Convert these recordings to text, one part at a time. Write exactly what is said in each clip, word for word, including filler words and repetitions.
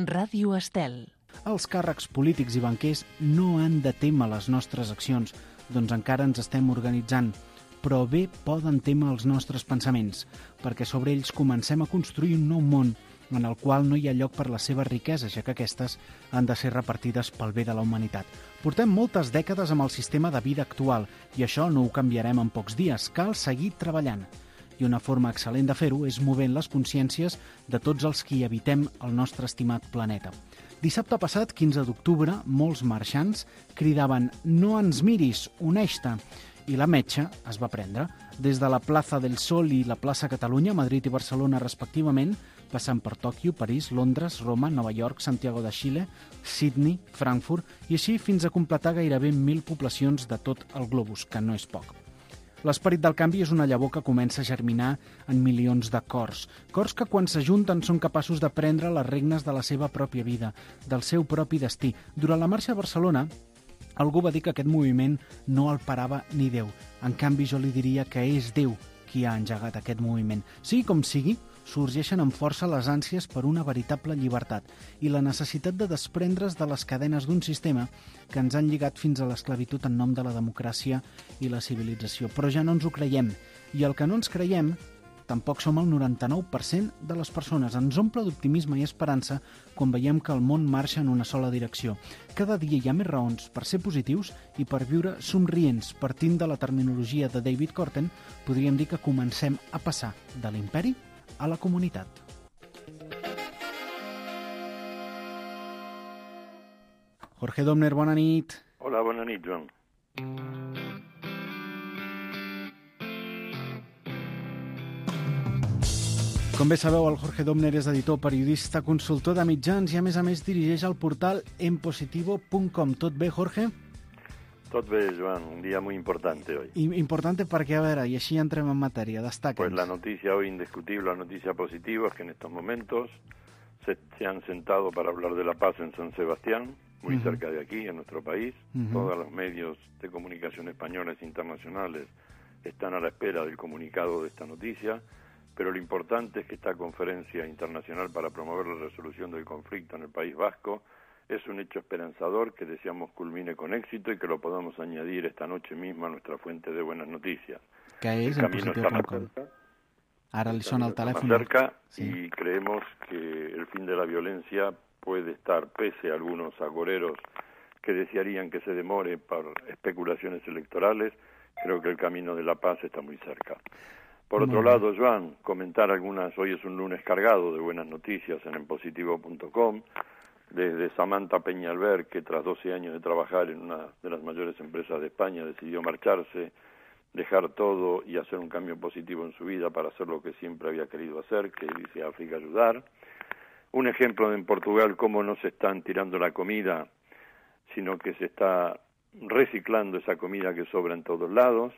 Ràdio Estel. Els càrrecs polítics i banquers no han de témer les nostres accions, doncs encara ens estem organitzant, però bé poden témer els nostres pensaments, perquè sobre ells comencem a construir un nou món en el qual no hi ha lloc per la seva riquesa, ja que aquestes han de ser repartides pel bé de la humanitat. Portem moltes dècades amb el sistema de vida actual i això no ho canviarem en pocs dies, cal seguir treballant. I una forma excel·lent de fer-ho és movent les consciències de tots els qui habitem el nostre estimat planeta. Dissabte passat, quinze d'octubre, molts marxants cridaven «No ens miris, uneix-te!» i la metxa es va prendre. Des de la plaça del Sol i la plaça Catalunya, Madrid i Barcelona respectivament, passant per Tòquio, París, Londres, Roma, Nova York, Santiago de Xile, Sydney, Frankfurt i així fins a completar gairebé mil poblacions de tot el globus, que no és poc. L'esperit del canvi és una llavor que comença a germinar en milions de cors. Cors que quan s'ajunten són capaços de prendre les regnes de la seva pròpia vida, del seu propi destí. Durant la marxa a Barcelona, algú va dir que aquest moviment no el parava ni Déu. En canvi, jo li diria que és Déu qui ha engegat aquest moviment. Sigui com sigui, sorgeixen amb força les ànsies per una veritable llibertat i la necessitat de desprendre's de les cadenes d'un sistema que ens han lligat fins a l'esclavitud en nom de la democràcia i la civilització. Però ja no ens ho creiem, i el que no ens creiem tampoc som el noranta-nou per cent de les persones. Ens omple d'optimisme i esperança quan veiem que el món marxa en una sola direcció. Cada dia hi ha més raons per ser positius i per viure somrients. Partint de la terminologia de David Korten, podríem dir que comencem a passar de l'imperi a la comunitat. Jorge Domner, bona nit. Hola, bona nit, Joan. Com bé sabeu, el Jorge Domner és editor, periodista, consultor de mitjans i a més a més dirigeix el portal enpositivo punt com. Tot bé, Jorge? Tot bé, Joan, un día muy importante hoy. Importante perquè, a veure, i així entrem en matèria, destaca'ns. Pues la noticia hoy indiscutible, la noticia positiva es que en estos momentos se, se han sentado para hablar de la paz en San Sebastián, muy uh-huh. cerca de aquí, en nuestro país. Uh-huh. Todos los medios de comunicación españoles e internacionales están a la espera del comunicado de esta noticia, pero lo importante es que esta conferencia internacional para promover la resolución del conflicto en el País Vasco es un hecho esperanzador que deseamos culmine con éxito y que lo podamos añadir esta noche misma a nuestra fuente de buenas noticias. Que es el camino está más cerca. Ahora le suena el teléfono. Más cerca sí. Y creemos que el fin de la violencia puede estar, pese a algunos agoreros que desearían que se demore por especulaciones electorales, creo que el camino de la paz está muy cerca. Por otro Muy lado, Joan, comentar algunas, hoy es un lunes cargado de buenas noticias en enpositivo punto com, desde Samantha Peñalver, que tras doce años de trabajar en una de las mayores empresas de España decidió marcharse, dejar todo y hacer un cambio positivo en su vida para hacer lo que siempre había querido hacer, que es irse a África a ayudar. Un ejemplo en Portugal, cómo no se están tirando la comida, sino que se está reciclando esa comida que sobra en todos lados.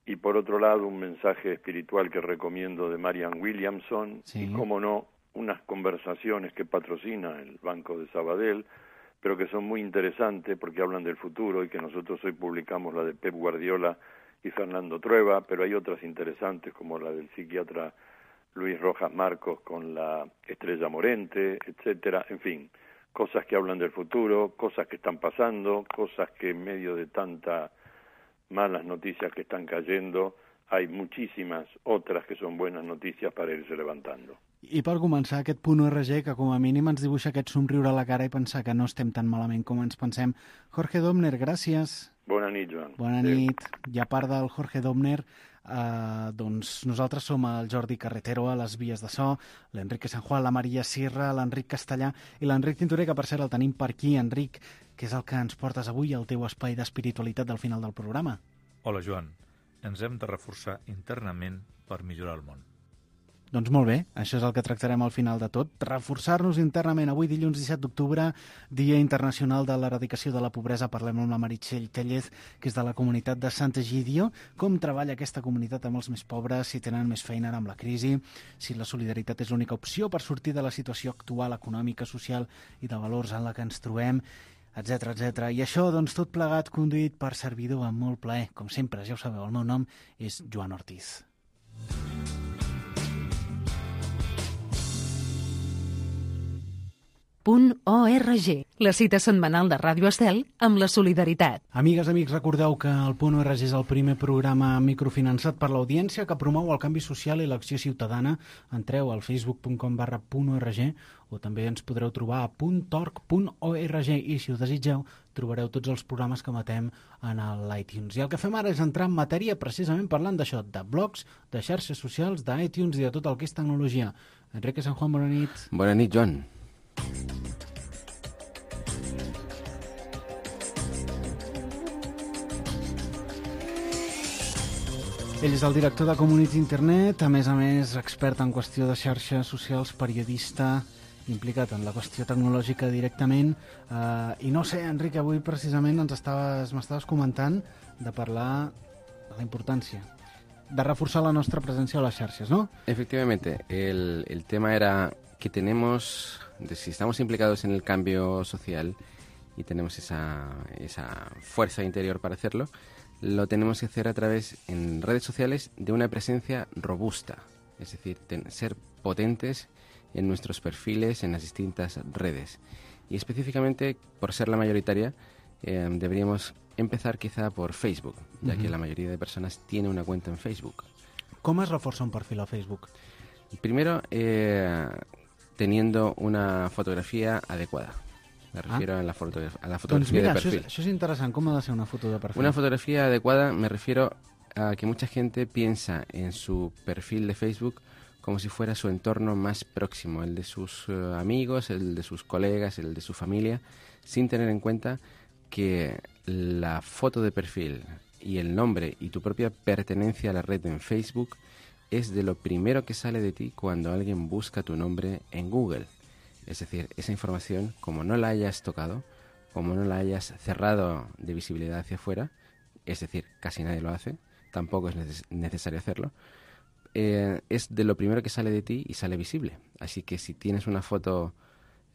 Y por otro lado, un mensaje espiritual que recomiendo de Marianne Williamson, sí. Y cómo no, unas conversaciones que patrocina el Banco de Sabadell, pero que son muy interesantes porque hablan del futuro y que nosotros hoy publicamos la de Pep Guardiola y Fernando Trueba, pero hay otras interesantes como la del psiquiatra Luis Rojas Marcos con la Estrella Morente, etcétera. En fin, cosas que hablan del futuro, cosas que están pasando, cosas que en medio de tantas malas noticias que están cayendo, hay muchísimas otras que son buenas noticias para irse levantando. I per començar, aquest punt R G que com a mínim ens dibuixa aquest somriure a la cara i pensar que no estem tan malament com ens pensem. Jorge Domner, gràcies. Bona nit, Joan. Bona nit. I a part del Jorge Domner, eh, doncs nosaltres som el Jordi Carretero a les vies de so, l'Enrique San Juan, la Maria Sierra, l'Enric Castellà i l'Enric Tintorer, que per cert el tenim per aquí. Enric, què és el que ens portes avui al teu espai d'espiritualitat del final del programa? Hola, Joan. Ens hem de reforçar internament per millorar el món. Doncs molt bé, això és el que tractarem al final de tot, reforçar-nos internament. Avui, dilluns disset d'octubre, Dia Internacional de l'Eradicació de la Pobresa. Parlem amb la Meritxell Tellez, que és de la comunitat de Sant'Egidio. Com treballa aquesta comunitat amb els més pobres, si tenen més feina amb la crisi, si la solidaritat és l'única opció per sortir de la situació actual, econòmica, social i de valors en la que ens trobem, etcètera, etcètera. I això, doncs, tot plegat conduït per servidor amb molt plaer. Com sempre, ja ho sabeu, el meu nom és Joan Ortiz. punt org, la cita setmanal de Ràdio Estel amb la solidaritat. Amigues, amics, recordeu que el Punt .org és el primer programa microfinançat per l'audiència que promou el canvi social i l'acció ciutadana. Entreu al facebook punt com barra punt org o també ens podreu trobar a punt org punt org i, si ho desitgeu, trobareu tots els programes que emetem en l'iTunes. I el que fem ara és entrar en matèria precisament parlant d'això, de blogs, de xarxes socials, d'iTunes i de tot el que és tecnologia. Enrique San Juan, bona nit. Bona nit, Joan. Ell és el director de Community Internet, a més a més expert en qüestió de xarxes socials, periodista, implicat en la qüestió tecnològica directament. Uh, I no sé, Enrique, avui precisament ens estaves, m'estaves comentant de parlar de la importància de reforzar la nuestra presencia en las xarxes, ¿no? Efectivamente, el, el tema era que tenemos, de si estamos implicados en el cambio social y tenemos esa, esa fuerza interior para hacerlo, lo tenemos que hacer a través, en redes sociales, de una presencia robusta, es decir, ten, ser potentes en nuestros perfiles, en las distintas redes. Y específicamente, por ser la mayoritaria, eh, deberíamos empezar quizá por Facebook, ya uh-huh. que la mayoría de personas tiene una cuenta en Facebook. ¿Cómo es reforzar un perfil a Facebook? Primero, eh, teniendo una fotografía adecuada. Me refiero ah. a la, foto, a la fotografía doncs mira, de perfil. Això és, això és interessant. Com ha de ser una foto de perfil? Una fotografía adecuada, me refiero a que mucha gente piensa en su perfil de Facebook como si fuera su entorno más próximo, el de sus uh, amigos, el de sus colegas, el de su familia, sin tener en cuenta que la foto de perfil y el nombre y tu propia pertenencia a la red en Facebook es de lo primero que sale de ti cuando alguien busca tu nombre en Google. Es decir, esa información, como no la hayas tocado, como no la hayas cerrado de visibilidad hacia afuera, es decir, casi nadie lo hace, tampoco es neces- necesario hacerlo, eh, es de lo primero que sale de ti y sale visible. Así que si tienes una foto,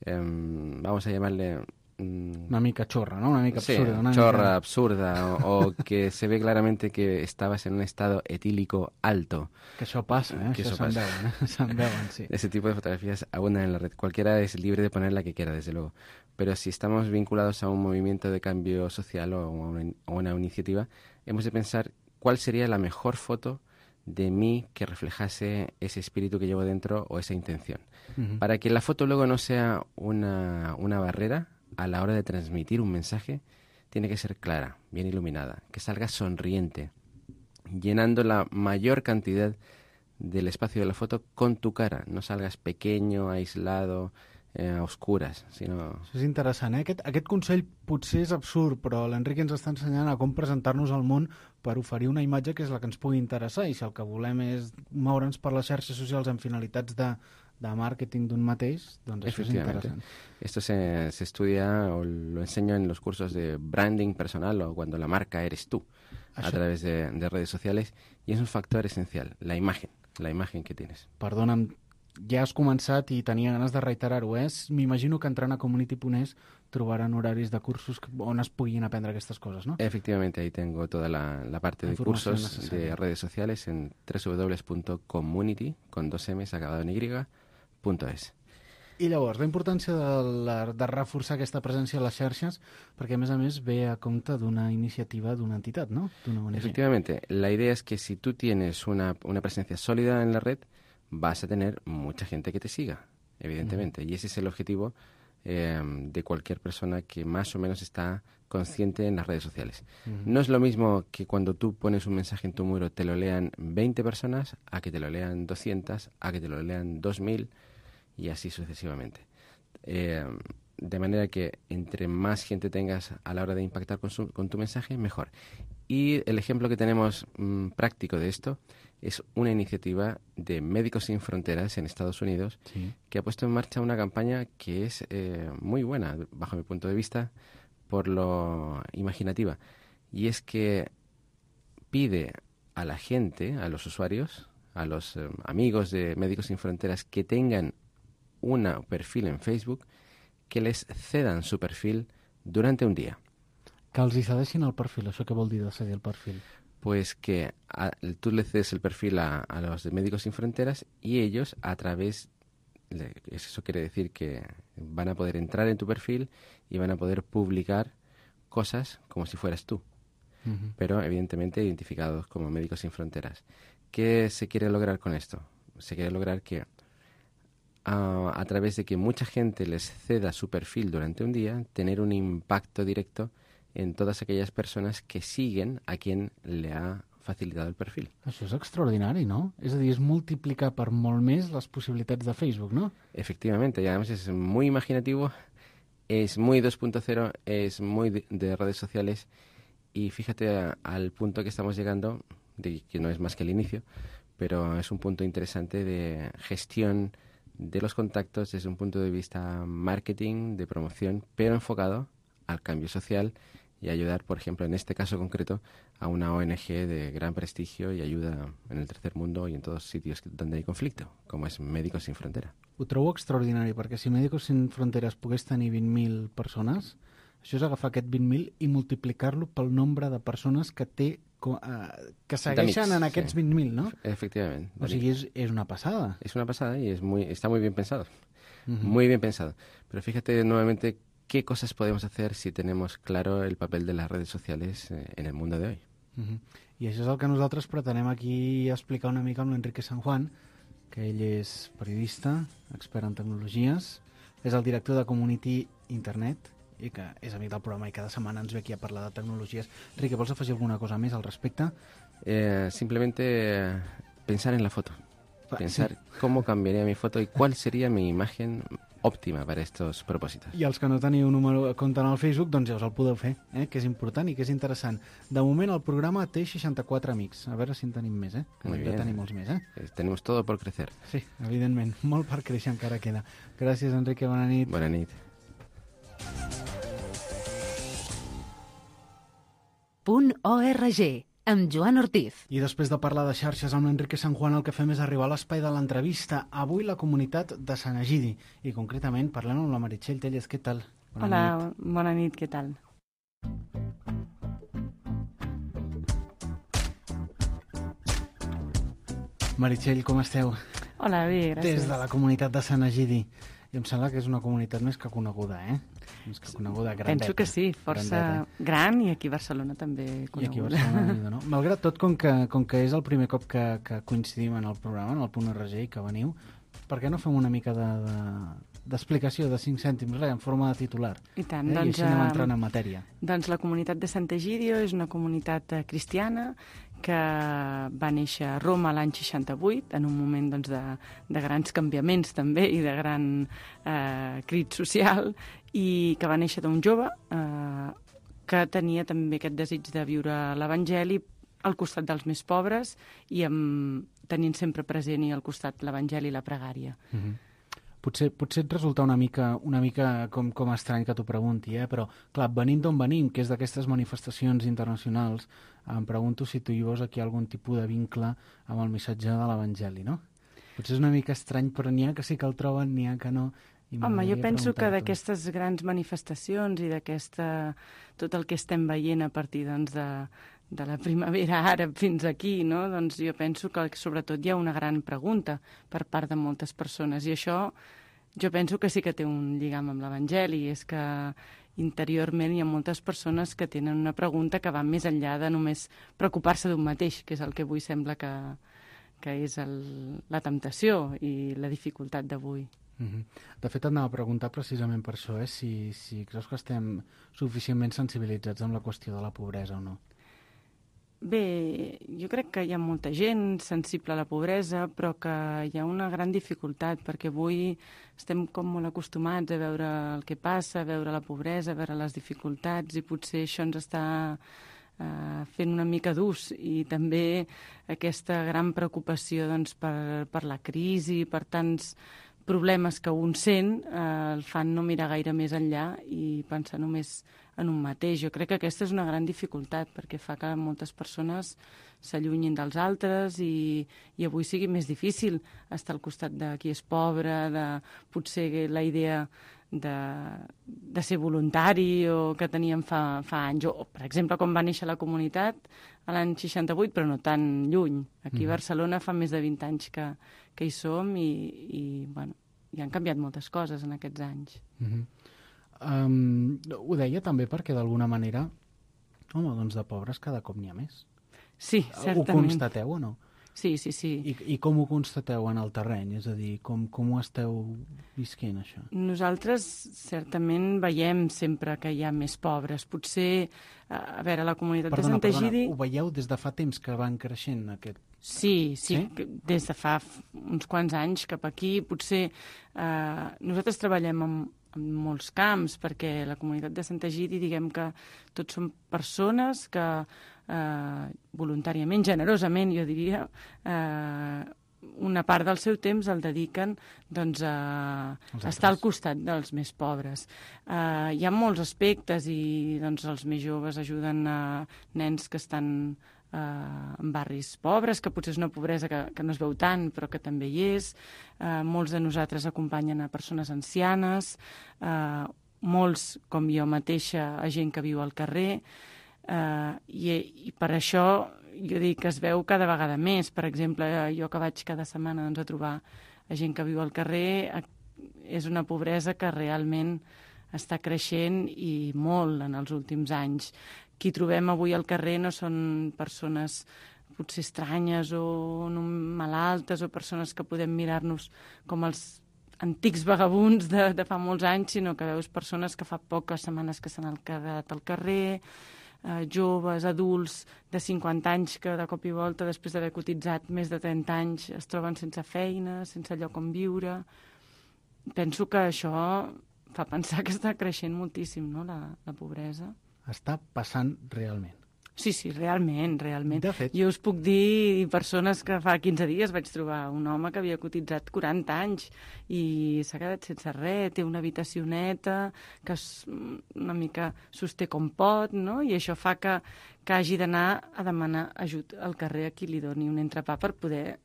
eh, vamos a llamarle... Una mica chorra, ¿no? Una mica sí, absurda. Una chorra, mica... absurda, o, o que se ve claramente que estabas en un estado etílico alto. Que això passa, eh? Que això això se'n pasa. veuen, eh? Se'n veuen, sí. Ese tipo de fotografías abundan en la red. Cualquiera es libre de poner la que quiera, desde luego. Pero si estamos vinculados a un movimiento de cambio social o a una, a una iniciativa, hemos de pensar cuál sería la mejor foto de mí que reflejase ese espíritu que llevo dentro o esa intención. Uh-huh. Para que la foto luego no sea una, una barrera a la hora de transmitir un mensaje, tiene que ser clara, bien iluminada, que salga sonriente, llenando la mayor cantidad del espacio de la foto con tu cara. No salgas pequeño, aislado, eh, a oscuras, sinó... Això és interessant, eh? Aquest, aquest consell potser és absurd, però l'Enric ens està ensenyant a com presentar-nos al món per oferir una imatge que és la que ens pugui interessar, i si el que volem és moure'ns per les xarxes socials amb finalitats de, de màrqueting d'un mateix, doncs això és interessant. Esto se, se estudia o lo enseño en los cursos de branding personal o cuando la marca eres tú, això. A través de, de redes sociales, y es un factor esencial, la imagen, la imagen que tienes. Perdona'm, ja has començat i tenia ganes de reiterar-ho, eh? M'imagino que entrant a Community punt es trobaran horaris de cursos on es puguin aprendre aquestes coses, ¿no? Efectivamente, ahí tengo toda la, la parte de cursos necesaria. De redes sociales en doble u doble u doble u punto community, con dos M's acabado en Y, punto es. I llavors, la importància de, la, de reforçar aquesta presència a les xarxes, perquè a més a més ve a compte d'una iniciativa d'una entitat, ¿no? D'una O N G. Efectivamente, la idea es que si tú tienes una, una presencia sólida en la red, vas a tener mucha gente que te siga, evidentemente. Uh-huh. Y ese es el objetivo eh, de cualquier persona que más o menos está consciente en las redes sociales. Uh-huh. No es lo mismo que cuando tú pones un mensaje en tu muro te lo lean veinte personas, a que te lo lean doscientas, a que te lo lean dos mil y así sucesivamente. Eh, de manera que entre más gente tengas a la hora de impactar con, su, con tu mensaje, mejor. Y el ejemplo que tenemos mmm, práctico de esto es una iniciativa de Médicos Sin Fronteras en Estados Unidos, sí, que ha puesto en marcha una campaña que es eh, muy buena, bajo mi punto de vista, por lo imaginativa. Y es que pide a la gente, a los usuarios, a los eh, amigos de Médicos Sin Fronteras que tengan un perfil en Facebook, que les cedan su perfil durante un día. Que els hi cedeixin el perfil, això què vol dir de cedir el perfil? Pues que a, tú le cedes el perfil a, a los de Médicos Sin Fronteras y ellos, a través eso quiere decir que van a poder entrar en tu perfil y van a poder publicar cosas como si fueras tú, uh-huh. pero evidentemente identificados como Médicos Sin Fronteras. ¿Qué se quiere lograr con esto? Se quiere lograr que uh, a través de que mucha gente les ceda su perfil durante un día, tener un impacto directo en todas aquelles persones que siguen a quien le ha facilitat el perfil. Això és extraordinari, ¿no? És a dir, és multiplicar per molt més les possibilitats de Facebook, ¿no? Efectivamente, y además es muy imaginativo, es muy dos punto cero, es muy de, de redes sociales, y fíjate a, al punto que estamos llegando, de que no es más que el inicio, pero es un punto interesante de gestión de los contactos desde un punto de vista marketing, de promoción, pero enfocado al cambio social y ayudar, por ejemplo, en este caso concreto, a una O N G de gran prestigio y ayuda en el tercer mundo y en todos sitios donde hay conflicto, como es Médicos Sin Frontera. Ho trobo extraordinari, perquè si Médicos Sin Fronteras pogués tenir vint mil persones, això és agafar aquest vint mil i multiplicar-lo pel nombre de persones que té uh, que segueixen en aquests sí. vint mil, ¿no? Efectivament. O sigui, és, és una passada. Es una pasada y es muy, está muy bien pensado. Uh-huh. Muy bien pensado. Pero fíjate nuevamente qué cosas podemos hacer si tenemos claro el papel de las redes sociales en el mundo de hoy. Uh-huh. I això és el que nosaltres pretenem aquí explicar una mica amb l'Enrique San Juan, que ell és periodista, expert en tecnologies, és el director de Community Internet i que és amic del programa i cada setmana ens ve aquí a parlar de tecnologies. Enrique, vols afegir alguna cosa més al respecte? Eh, simplemente eh, pensar en la foto. Pensar sí. cómo cambiaría mi foto y cuál sería mi imagen òptima per a estos propòsits. I els que no teniu número de compte en el Facebook, doncs ja us el podeu fer, eh? Que és important i que és interessant. De moment el programa té seixanta-quatre amics. A veure si en tenim més, eh? Que hem de tenir molts més, eh? Tenemos todo por crecer. Sí, evidentment. Molt per créixer encara queda. Gràcies, Enrique. Bona nit. Bona nit. Punt .org, amb Joan Ortiz. I després de parlar de xarxes amb l'Enrique San Juan, el que fem és arribar a l'espai de l'entrevista. Avui la comunitat de Sant Egidi. I concretament parlem amb la Meritxell Telles. Què tal? Bona Hola, nit. Bona nit, què tal? Meritxell, com esteu? Hola, bé, gràcies. Des de la comunitat de Sant Egidi. I em sembla que és una comunitat més que coneguda, eh? Més que coneguda, grandeta. Penso que sí, força grandeta. Gran, i aquí a Barcelona també coneguda. I aquí a Barcelona, no? Malgrat tot, com que, com que és el primer cop que, que coincidim en el programa, en el Punt R G, i que veniu, per què no fem una mica de, de, d'explicació de cinc cèntims, res, en forma de titular? I tant. Eh? Doncs, I així anem entrant en matèria. Doncs la comunitat de Sant Egidio és una comunitat cristiana que va néixer a Roma l'any seixanta-vuit, en un moment doncs, de, de grans canviaments també i de gran eh, crit social, i que va néixer d'un jove eh, que tenia també aquest desig de viure l'Evangeli al costat dels més pobres i amb, tenint sempre present i al costat l'Evangeli i la pregària. Mm-hmm. Potser, potser et resulta una mica, una mica com, com estrany que t'ho pregunti, eh? Però, clar, venint d'on venim, que és d'aquestes manifestacions internacionals, em pregunto si tu hi veus aquí algun tipus de vincle amb el missatge de l'Evangeli, no? Potser és una mica estrany, però n'hi ha que sí que el troben, n'hi ha que no. Home, jo penso que d'aquestes grans manifestacions i d'aquesta tot el que estem veient a partir doncs, de, de la primavera àrab fins aquí, no? Doncs jo penso que sobretot hi ha una gran pregunta per part de moltes persones, i això jo penso que sí que té un lligam amb l'Evangeli, és que interiorment hi ha moltes persones que tenen una pregunta que va més enllà de només preocupar-se d'un mateix, que és el que avui sembla que, que és el, la temptació i la dificultat d'avui. Mm-hmm. De fet, et anava a preguntar precisament per això, eh? si, si creus que estem suficientment sensibilitzats amb la qüestió de la pobresa o no. Bé, jo crec que hi ha molta gent sensible a la pobresa, però que hi ha una gran dificultat, perquè avui estem com molt acostumats a veure el que passa, a veure la pobresa, a veure les dificultats, i potser això ens està eh, fent una mica d'ús, i també aquesta gran preocupació doncs, per, per la crisi, per tants problemes que un sent, eh, el fan no mirar gaire més enllà i pensar només en un mateix. Jo crec que aquesta és una gran dificultat, perquè fa que moltes persones s'allunyin dels altres i, i avui sigui més difícil estar al costat de qui és pobre, de potser la idea de, de ser voluntari o que teníem fa, fa anys. O, per exemple, quan va néixer la comunitat a l'any seixanta-vuit, però no tan lluny. Aquí a Barcelona fa més de vint anys que, que hi som i, i bueno, i han canviat moltes coses en aquests anys. Uh-huh. um, ho deia també perquè d'alguna manera, home, doncs de pobres cada cop n'hi ha més. Sí, certament. Ho constateu o no? Sí, sí, sí. I, I com ho constateu en el terreny? És a dir, com, com ho esteu visquent, això? Nosaltres certament veiem sempre que hi ha més pobres. Potser, a veure, la comunitat perdona, de Sant Egidi... Perdona, ho veieu des de fa temps que van creixent aquest... Sí, sí, sí? Des de fa uns quants anys cap aquí. Potser eh, nosaltres treballem en, en molts camps, perquè la comunitat de Sant Egidi, diguem que tots són persones que eh, voluntàriament, generosament, jo diria, eh, una part del seu temps el dediquen doncs, a estar al costat dels més pobres. Eh, hi ha molts aspectes i doncs, els més joves ajuden a nens que estan eh, en barris pobres, que potser és una pobresa que, que no es veu tant, però que també hi és. Eh, molts de nosaltres acompanyen a persones ancianes, eh, molts, com jo mateixa, a gent que viu al carrer, eh, i, i per això jo dic que es veu cada vegada més. Per exemple, jo que vaig cada setmana doncs, a trobar a gent que viu al carrer, és una pobresa que realment està creixent i molt en els últims anys. Qui trobem avui al carrer no són persones potser estranyes o no malaltes o persones que podem mirar-nos com els antics vagabunds de, de fa molts anys, sinó que veus persones que fa poques setmanes que s'han quedat al carrer, eh, joves, adults de cinquanta anys que de cop i volta, després d'haver cotitzat més de trenta anys, es troben sense feina, sense lloc on viure. Penso que això fa pensar que està creixent moltíssim, no?, la, la pobresa. Està passant realment. Sí, sí, realment, realment. De fet. Jo us puc dir persones que fa quinze dies vaig trobar un home que havia cotitzat quaranta anys i s'ha quedat sense res, té una habitacioneta que una mica sosté com pot, no? I això fa que, que hagi d'anar a demanar ajut al carrer a qui li doni un entrepà per poder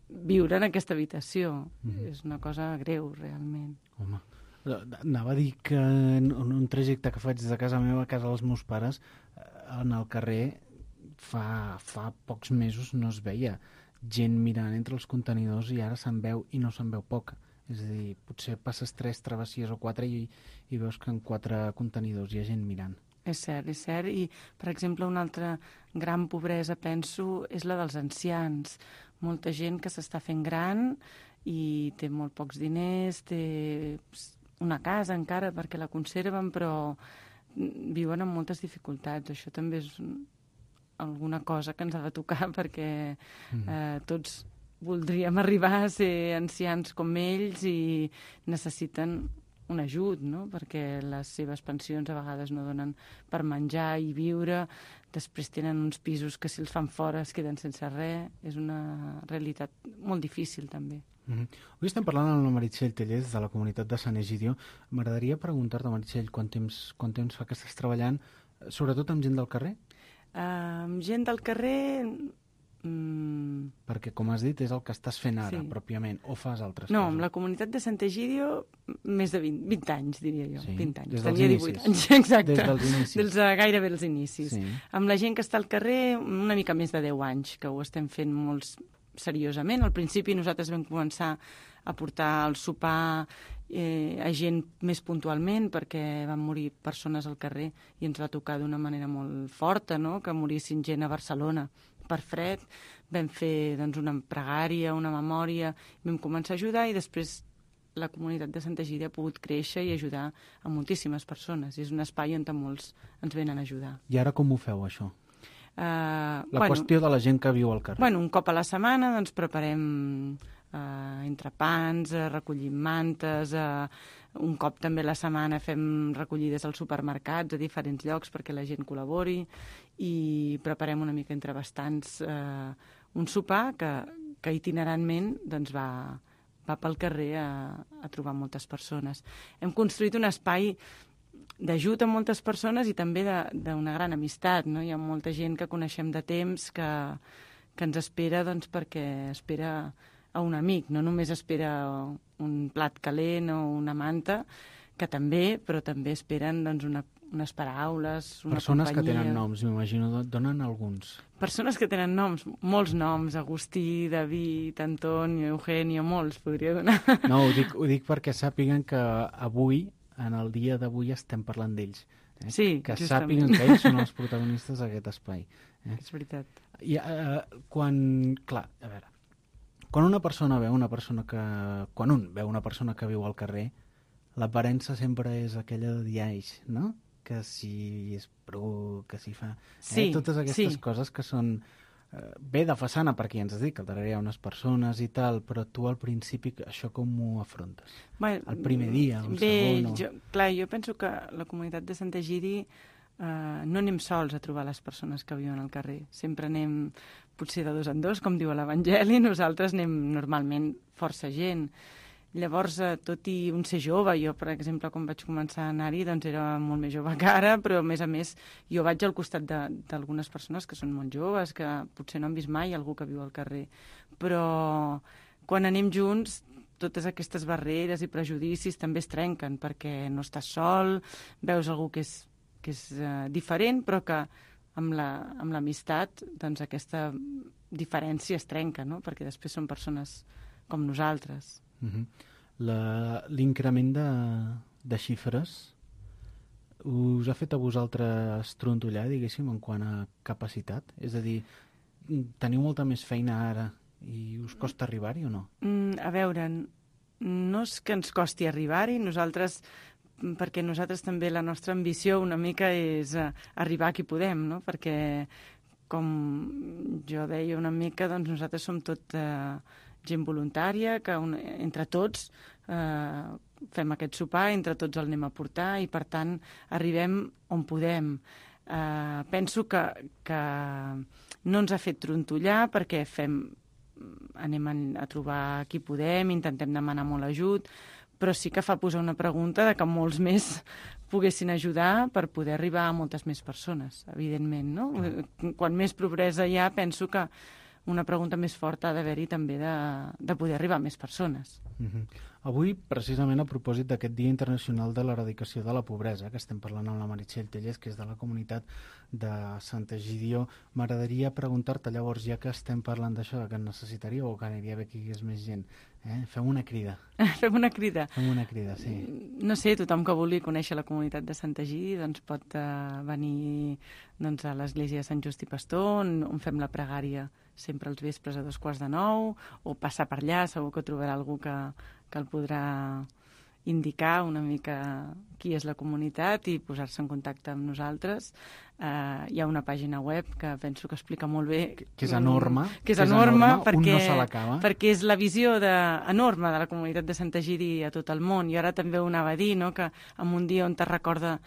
viure en aquesta habitació. Mm. És una cosa greu, realment. Home, anava a dir que en un trajecte que faig des de casa meva a casa dels meus pares, en el carrer fa, fa pocs mesos no es veia gent mirant entre els contenidors i ara se'n veu i no se'n veu poca. És a dir, potser passes tres travessies o quatre i, i veus que en quatre contenidors hi ha gent mirant. És cert, és cert. I, per exemple, una altra gran pobresa, penso, és la dels ancians. Molta gent que s'està fent gran i té molt pocs diners, té una casa encara perquè la conserven, però viuen amb moltes dificultats. Això també és alguna cosa que ens ha de tocar perquè eh, tots voldríem arribar a ser ancians com ells i necessiten un ajut, no?, perquè les seves pensions a vegades no donen per menjar i viure, després tenen uns pisos que si els fan fora es queden sense res. És una realitat molt difícil també. Mm-hmm. Avui estem parlant amb la Meritxell Tellez de la comunitat de Sant Egidio. M'agradaria preguntar-te, Meritxell, quant temps, quant temps fa que estàs treballant, sobretot amb gent del carrer? Uh, amb gent del carrer... Mm. Perquè, com has dit, és el que estàs fent ara, sí. pròpiament, o fas altres no, coses? No, amb la comunitat de Sant Egidio més de vint, vint anys, diria jo. Sí, vint anys. des dels Tenia inicis. divuit anys, exacte. Des dels inicis. Dels, uh, gairebé els inicis. Sí. Amb la gent que està al carrer, una mica més de deu anys, que ho estem fent molt seriosament. Al principi nosaltres vam començar a portar el sopar eh, a gent més puntualment perquè van morir persones al carrer i ens va tocar d'una manera molt forta, no?, que morissin gent a Barcelona per fred. Vam fer doncs, una pregària, una memòria, vam començar a ajudar i després la comunitat de Sant Egidi ha pogut créixer i ajudar a moltíssimes persones. És un espai on molts ens venen a ajudar. I ara com ho feu, això? Uh, la bueno, qüestió de la gent que viu al carrer. Bueno, un cop a la setmana doncs, preparem uh, entrepans, uh, recollim mantes, uh, un cop també a la setmana fem recollides als supermercats a diferents llocs perquè la gent col·labori i preparem una mica entre bastants uh, un sopar que, que itinerantment doncs, va, va pel carrer a, a trobar moltes persones. Hem construït un espai d'ajut a moltes persones i també d'una gran amistat, no? Hi ha molta gent que coneixem de temps que, que ens espera doncs, perquè espera a un amic, no només espera un plat calent o una manta, que també, però també esperen doncs, una, unes paraules, una Persones companyia. que tenen noms, m'imagino, donen alguns. Persones que tenen noms, molts noms, Agustí, David, Antonio, Eugenio, molts podria donar. No, ho dic, ho dic perquè sàpiguen que avui, en el dia d'avui, estem parlant d'ells. Eh? Sí, que justament. sàpiguen que ells són els protagonistes d'aquest espai. Eh? És veritat. I, eh, quan, clar, a veure, quan una persona veu una persona que... Quan un veu una persona que viu al carrer, l'aparença sempre és aquella de diaix, no? Que si és bru, que si fa... Sí, eh? Totes aquestes sí. coses que són... Eh, bé de façana, perquè ja ens has dit que al darrere hi ha unes persones i tal, però tu al principi això com ho afrontes? Bé, El primer dia, un bé, segon... O... Jo, clar, jo penso que la comunitat de Sant Egidi eh, no anem sols a trobar les persones que viuen al carrer. Sempre anem potser de dos en dos, com diu l'Evangeli, nosaltres anem normalment força gent. Llavors, eh, tot i un ser jove, jo, per exemple, quan vaig començar a anar-hi, doncs era molt més jove que ara, però a més a més jo vaig al costat d'algunes persones que són molt joves, que potser no han vist mai algú que viu al carrer. Però quan anem junts, totes aquestes barreres i prejudicis també es trenquen, perquè no estàs sol, veus algú que és, que és eh, diferent, però que amb la- amb l'amistat doncs aquesta diferència es trenca, no? Perquè després són persones com nosaltres. Uh-huh. La- L'increment de, de xifres us ha fet a vosaltres trontollar, diguéssim, en quant a capacitat? És a dir, teniu molta més feina ara i us costa arribar-hi o no? Mm, a veure, no és que ens costi arribar-hi, nosaltres, perquè nosaltres també la nostra ambició una mica és eh, arribar a qui podem, no? Perquè, com jo deia una mica, doncs nosaltres som tot eh, gent voluntària, que un, entre tots eh, fem aquest sopar, entre tots el anem a portar i, per tant, arribem on podem. Eh, penso que, que no ens ha fet trontollar perquè fem, anem a, a trobar qui podem, intentem demanar molt ajut, però sí que fa posar una pregunta de que molts més poguessin ajudar per poder arribar a moltes més persones, evidentment, no? Quan més pobresa hi ha, penso que una pregunta més forta ha d'haver-hi també de, de poder arribar a més persones. Uh-huh. Avui, precisament a propòsit d'aquest Dia Internacional de l'Eradicació de la Pobresa, que estem parlant amb la Meritxell Tellez, que és de la comunitat de Sant Egidio, m'agradaria preguntar-te llavors, ja que estem parlant d'això, que necessitaríeu o que aniria bé que hi hagués més gent, eh? Fem una crida. Fem una crida. Fem una crida, sí. No sé, tothom que vulgui conèixer la comunitat de Sant Egidi doncs pot uh, venir doncs, a l'església de Sant Just i Pastor, on, on fem la pregària sempre els vespres a dos quarts de nou, o passar per allà, segur que trobarà algú que, que el podrà indicar una mica qui és la comunitat i posar-se en contacte amb nosaltres. Uh, hi ha una pàgina web que penso que explica molt bé... Que, que és enorme. Que és enorme, perquè, un no se l'acaba. perquè és la visió de, enorme de la comunitat de Sant Egidi a tot el món. I ara també ho anava a dir, no?, que en un dia on te recorda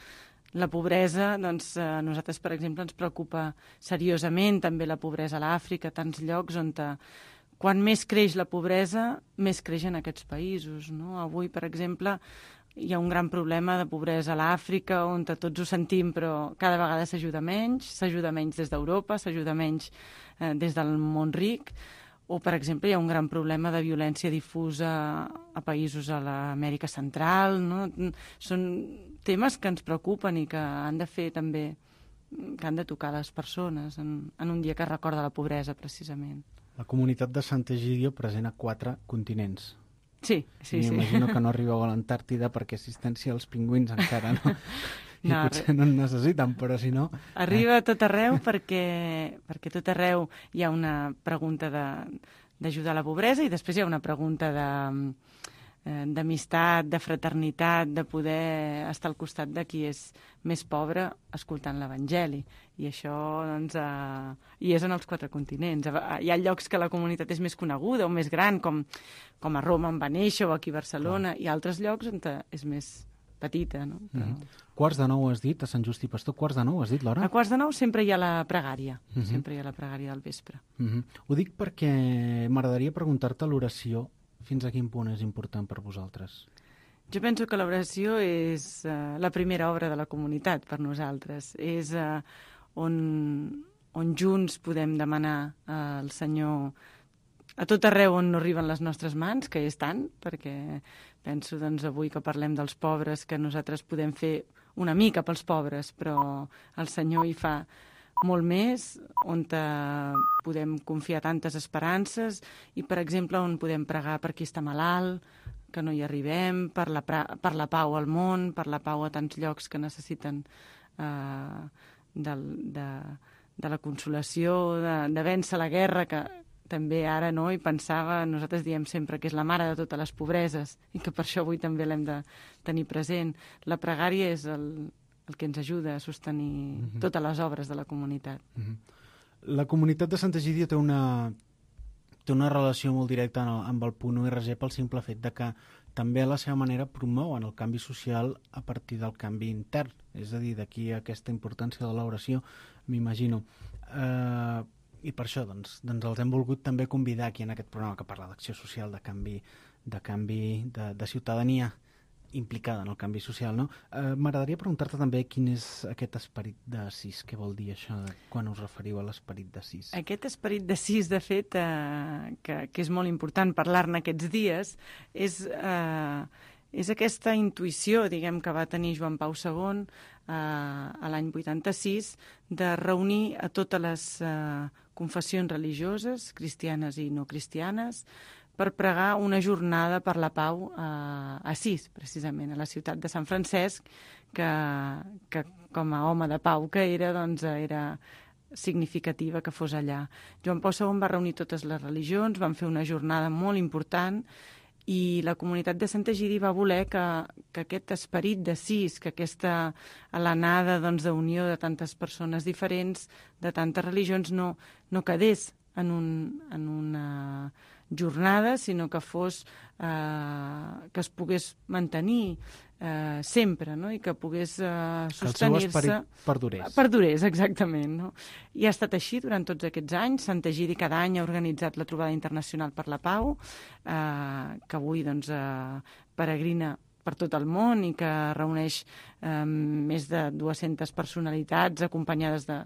la pobresa, doncs eh, a nosaltres, per exemple, ens preocupa seriosament també la pobresa a l'Àfrica, tants llocs on te, quan més creix la pobresa, més creix en aquests països, no? Avui, per exemple, hi ha un gran problema de pobresa a l'Àfrica, on tots ho sentim, però cada vegada s'ajuda menys, s'ajuda menys des d'Europa, s'ajuda menys eh, des del món ric, o, per exemple, hi ha un gran problema de violència difusa a països a l'Amèrica Central, no? Són temes que ens preocupen i que han de fer també, que han de tocar les persones en, en un dia que recorda la pobresa, precisament. La comunitat de Sant Egidio present a quatre continents. Sí, sí, sí. M'imagino que no arribeu a l'Antàrtida perquè assistència als pingüins encara no. I No, potser no en necessiten, però si no... Arriba a tot arreu perquè, perquè tot arreu hi ha una pregunta de- d'ajudar a la pobresa i després hi ha una pregunta de, eh, d'amistat, de fraternitat, de poder estar al costat de qui és més pobre escoltant l'Evangeli. I això, doncs, eh, hi és en els quatre continents. Hi ha llocs que la comunitat és més coneguda o més gran, com, com a Roma on va néixer o aquí a Barcelona, i altres llocs on te- és més petita, no? Però... Mm. Quarts de nou has dit, a Sant Just i Pastor, quarts de nou has dit l'hora? A quarts de nou sempre hi ha la pregària, Mhm. sempre hi ha la pregària del vespre. Mm -hmm. Ho dic perquè m'agradaria preguntar-te l'oració, fins a quin punt és important per vosaltres? Jo penso que l'oració és uh, la primera obra de la comunitat per nosaltres. És uh, on, on junts podem demanar uh, al Senyor a tot arreu on no arriben les nostres mans, que és tant, perquè penso doncs, avui que parlem dels pobres, que nosaltres podem fer una mica pels pobres, però el Senyor hi fa molt més, on podem confiar tantes esperances i, per exemple, on podem pregar per qui està malalt, que no hi arribem, per la, per la pau al món, per la pau a tants llocs que necessiten eh, de, de, de la consolació, de, de vèncer la guerra, que també ara no hi pensava, nosaltres diem sempre que és la mare de totes les pobreses i que per això avui també l'hem de tenir present. La pregària és el, el que ens ajuda a sostenir mm-hmm. totes les obres de la comunitat. Mm-hmm. La comunitat de Santa Egídia té una, té una relació molt directa amb el Punt U R G pel simple fet de que també a la seva manera promouen el canvi social a partir del canvi intern. És a dir, d'aquí aquesta importància de l'oració, m'imagino. Eh, I per això doncs, doncs els hem volgut també convidar aquí en aquest programa que parla d'acció social, de canvi, de, canvi de, de ciutadania implicada en el canvi social, no? Eh, M'agradaria preguntar-te també quin és aquest esperit de sis, què vol dir això quan us referiu a l'esperit de sis? Aquest esperit de sis, de fet, eh, que, que és molt important parlar-ne aquests dies, és, eh, és aquesta intuïció, diguem, que va tenir Joan Pau segon eh, a l'any vuitanta-sis, de reunir a totes les eh, confessions religioses, cristianes i no cristianes, per pregar una jornada per la pau a Assís, precisament, a la ciutat de Sant Francesc, que, que com a home de pau que era, doncs era significativa que fos allà. Joan Pau segon va reunir totes les religions, van fer una jornada molt important i la comunitat de Santa Egídia va voler que, que aquest esperit de sis, que aquesta alenada doncs, d'unió de tantes persones diferents, de tantes religions, no, no quedés en, un, en una jornada, sinó que fos eh, que es pogués mantenir eh, sempre, no? I que pogués eh, sostenir-se... Que el seu esperit perdurés. Perdurés, exactament. No? I ha estat així durant tots aquests anys. Santa Egídia cada any ha organitzat la Trobada Internacional per la Pau, eh, que avui doncs, eh, peregrina per tot el món i que reuneix eh, més de dues-centes personalitats acompanyades de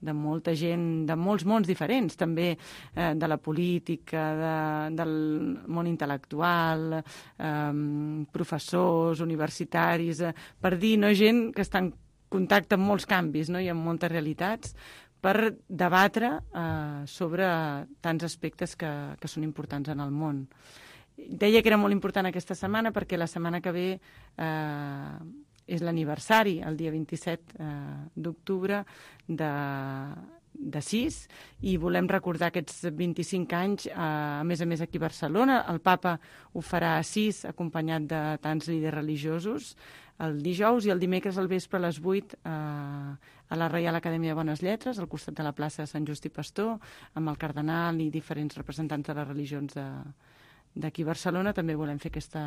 de molta gent, de molts mons diferents, també eh, de la política, de, del món intel·lectual, eh, professors, universitaris, eh, per dir, no, gent que està en contacte amb molts canvis, no, i amb moltes realitats, per debatre eh, sobre tants aspectes que, que són importants en el món. Deia que era molt important aquesta setmana perquè la setmana que ve eh, és l'aniversari, el dia vint-i-set eh, d'octubre de, de sis, i volem recordar aquests vint-i-cinc anys, eh, a més a més aquí a Barcelona. El papa ho farà a sis, acompanyat de tants líders religiosos, el dijous, i el dimecres al vespre a les vuit eh, a la Reial Acadèmia de Bones Lletres, al costat de la plaça de Sant Just i Pastor, amb el cardenal i diferents representants de les religions de d'aquí a Barcelona. També volem fer aquesta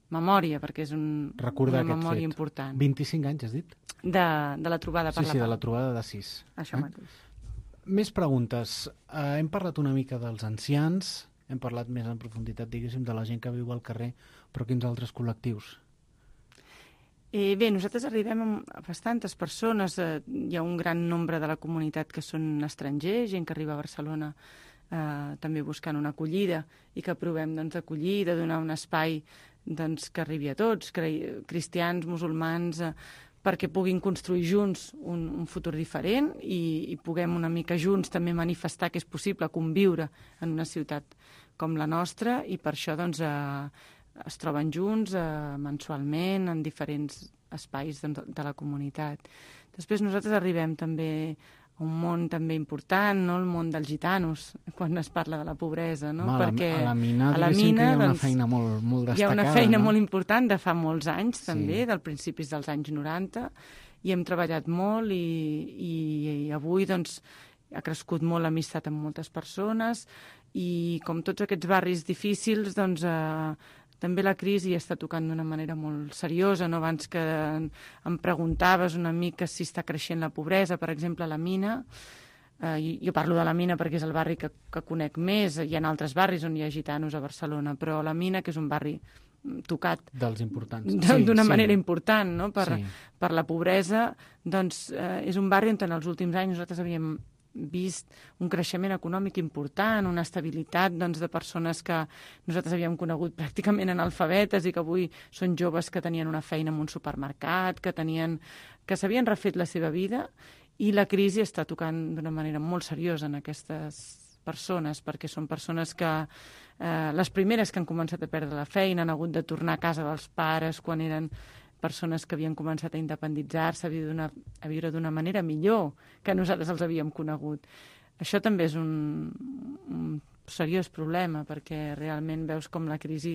memòria, perquè és un, una memòria fet. important. vint-i-cinc anys, has dit? De, de la trobada per sí, la sí, pau. de la trobada de sis. Això eh? mateix. Més preguntes. Uh, hem parlat una mica dels ancians, hem parlat més en profunditat, diguéssim, de la gent que viu al carrer, però quins altres col·lectius? Eh, bé, nosaltres arribem a bastantes persones. Eh, hi ha un gran nombre de la comunitat que són estrangers, gent que arriba a Barcelona Eh, també buscant una acollida i que provem doncs, d'acollir, de donar un espai doncs, que arribi a tots, cristians, musulmans, eh, perquè puguin construir junts un, un futur diferent i, i puguem una mica junts també manifestar que és possible conviure en una ciutat com la nostra, i per això doncs, eh, es troben junts eh, mensualment en diferents espais doncs, de la comunitat. Després nosaltres arribem també un món també important, no? El món dels gitanos, quan es parla de la pobresa, no? Ma, Perquè a la mina, a la mina mina, hi ha una doncs, feina molt, molt destacada. Hi ha una feina no? molt important de fa molts anys, també, sí. del principis dels anys noranta, i hem treballat molt i, i, i avui doncs, ha crescut molt l'amistat amb moltes persones, i com tots aquests barris difícils, doncs, eh, també la crisi està tocant d'una manera molt seriosa, no? Abans que em preguntaves una mica si està creixent la pobresa, per exemple, a la mina. Eh, jo parlo de la mina perquè és el barri que, que conec més. Hi ha altres barris on hi ha gitanos a Barcelona, però la mina, que és un barri tocat dels importants. d'una sí, manera sí. important, no? per, sí. per la pobresa, doncs eh, és un barri on en els últims anys nosaltres havíem vist un creixement econòmic important, una estabilitat doncs, de persones que nosaltres havíem conegut pràcticament analfabetes i que avui són joves que tenien una feina en un supermercat, que tenien, que s'havien refet la seva vida, i la crisi està tocant d'una manera molt seriosa en aquestes persones, perquè són persones que eh, les primeres que han començat a perdre la feina, han hagut de tornar a casa dels pares quan eren persones que havien començat a independitzar-se, a viure d'una, a viure d'una manera millor que nosaltres els havíem conegut. Això també és un, un seriós problema, perquè realment veus com la crisi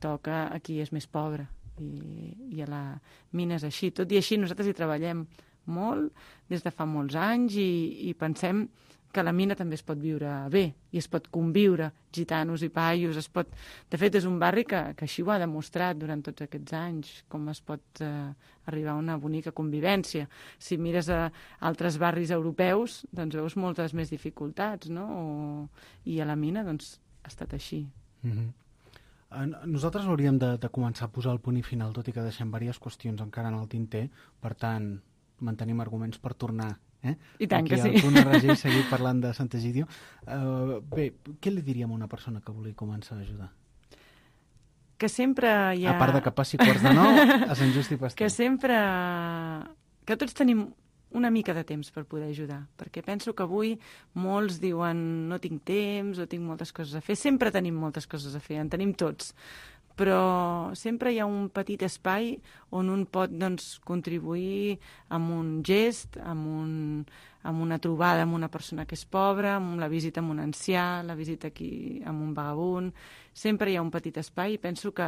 toca a qui és més pobre, i, i a la mina és així. Tot i així nosaltres hi treballem molt des de fa molts anys i, i pensem que a la mina també es pot viure bé i es pot conviure, gitanos i paios, es pot... De fet, és un barri que, que així ho ha demostrat durant tots aquests anys, com es pot eh, arribar a una bonica convivència. Si mires a altres barris europeus, doncs veus moltes més dificultats, no? O... I a la mina, doncs, ha estat així. Mm-hmm. Nosaltres hauríem de, de començar a posar el punt i final, tot i que deixem diverses qüestions encara en el tinter, per tant, mantenim arguments per tornar eh? I tant aquí que sí. al punt R G i seguir parlant de Sant'Egidio. Uh, bé, què li diríem a una persona que vulgui començar a ajudar? Que sempre hi ha... A part de que passi quarts de nou a Sant Just i Pasteur. Que sempre... Que tots tenim una mica de temps per poder ajudar, perquè penso que avui molts diuen no tinc temps o tinc moltes coses a fer. Sempre tenim moltes coses a fer, en tenim tots. Però sempre hi ha un petit espai on un pot doncs, contribuir amb un gest, amb, un, amb una trobada amb una persona que és pobra, amb la visita amb un ancià, la visita aquí amb un vagabund. Sempre hi ha un petit espai i penso que,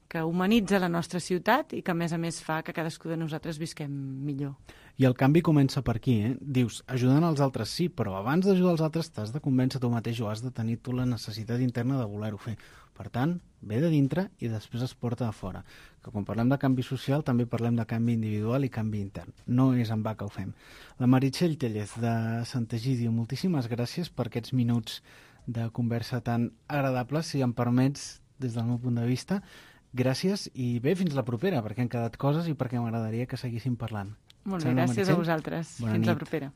que humanitza la nostra ciutat i que, a més a més, fa que cadascú de nosaltres visquem millor. I el canvi comença per aquí, eh? Dius, ajudant els altres sí, però abans d'ajudar els altres t'has de convèncer tu mateix o has de tenir tu la necessitat interna de voler-ho fer. Per tant, ve de dintre i després es porta a fora. Que quan parlem de canvi social també parlem de canvi individual i canvi intern. No és en va que ho fem. La Meritxell Tellez de Sant'Egidio, moltíssimes gràcies per aquests minuts de conversa tan agradables, si em permets, des del meu punt de vista. Gràcies i bé, fins la propera, perquè han quedat coses i perquè m'agradaria que seguíssim parlant. Molt bé, gràcies a vosaltres. Bona fins nit. la propera.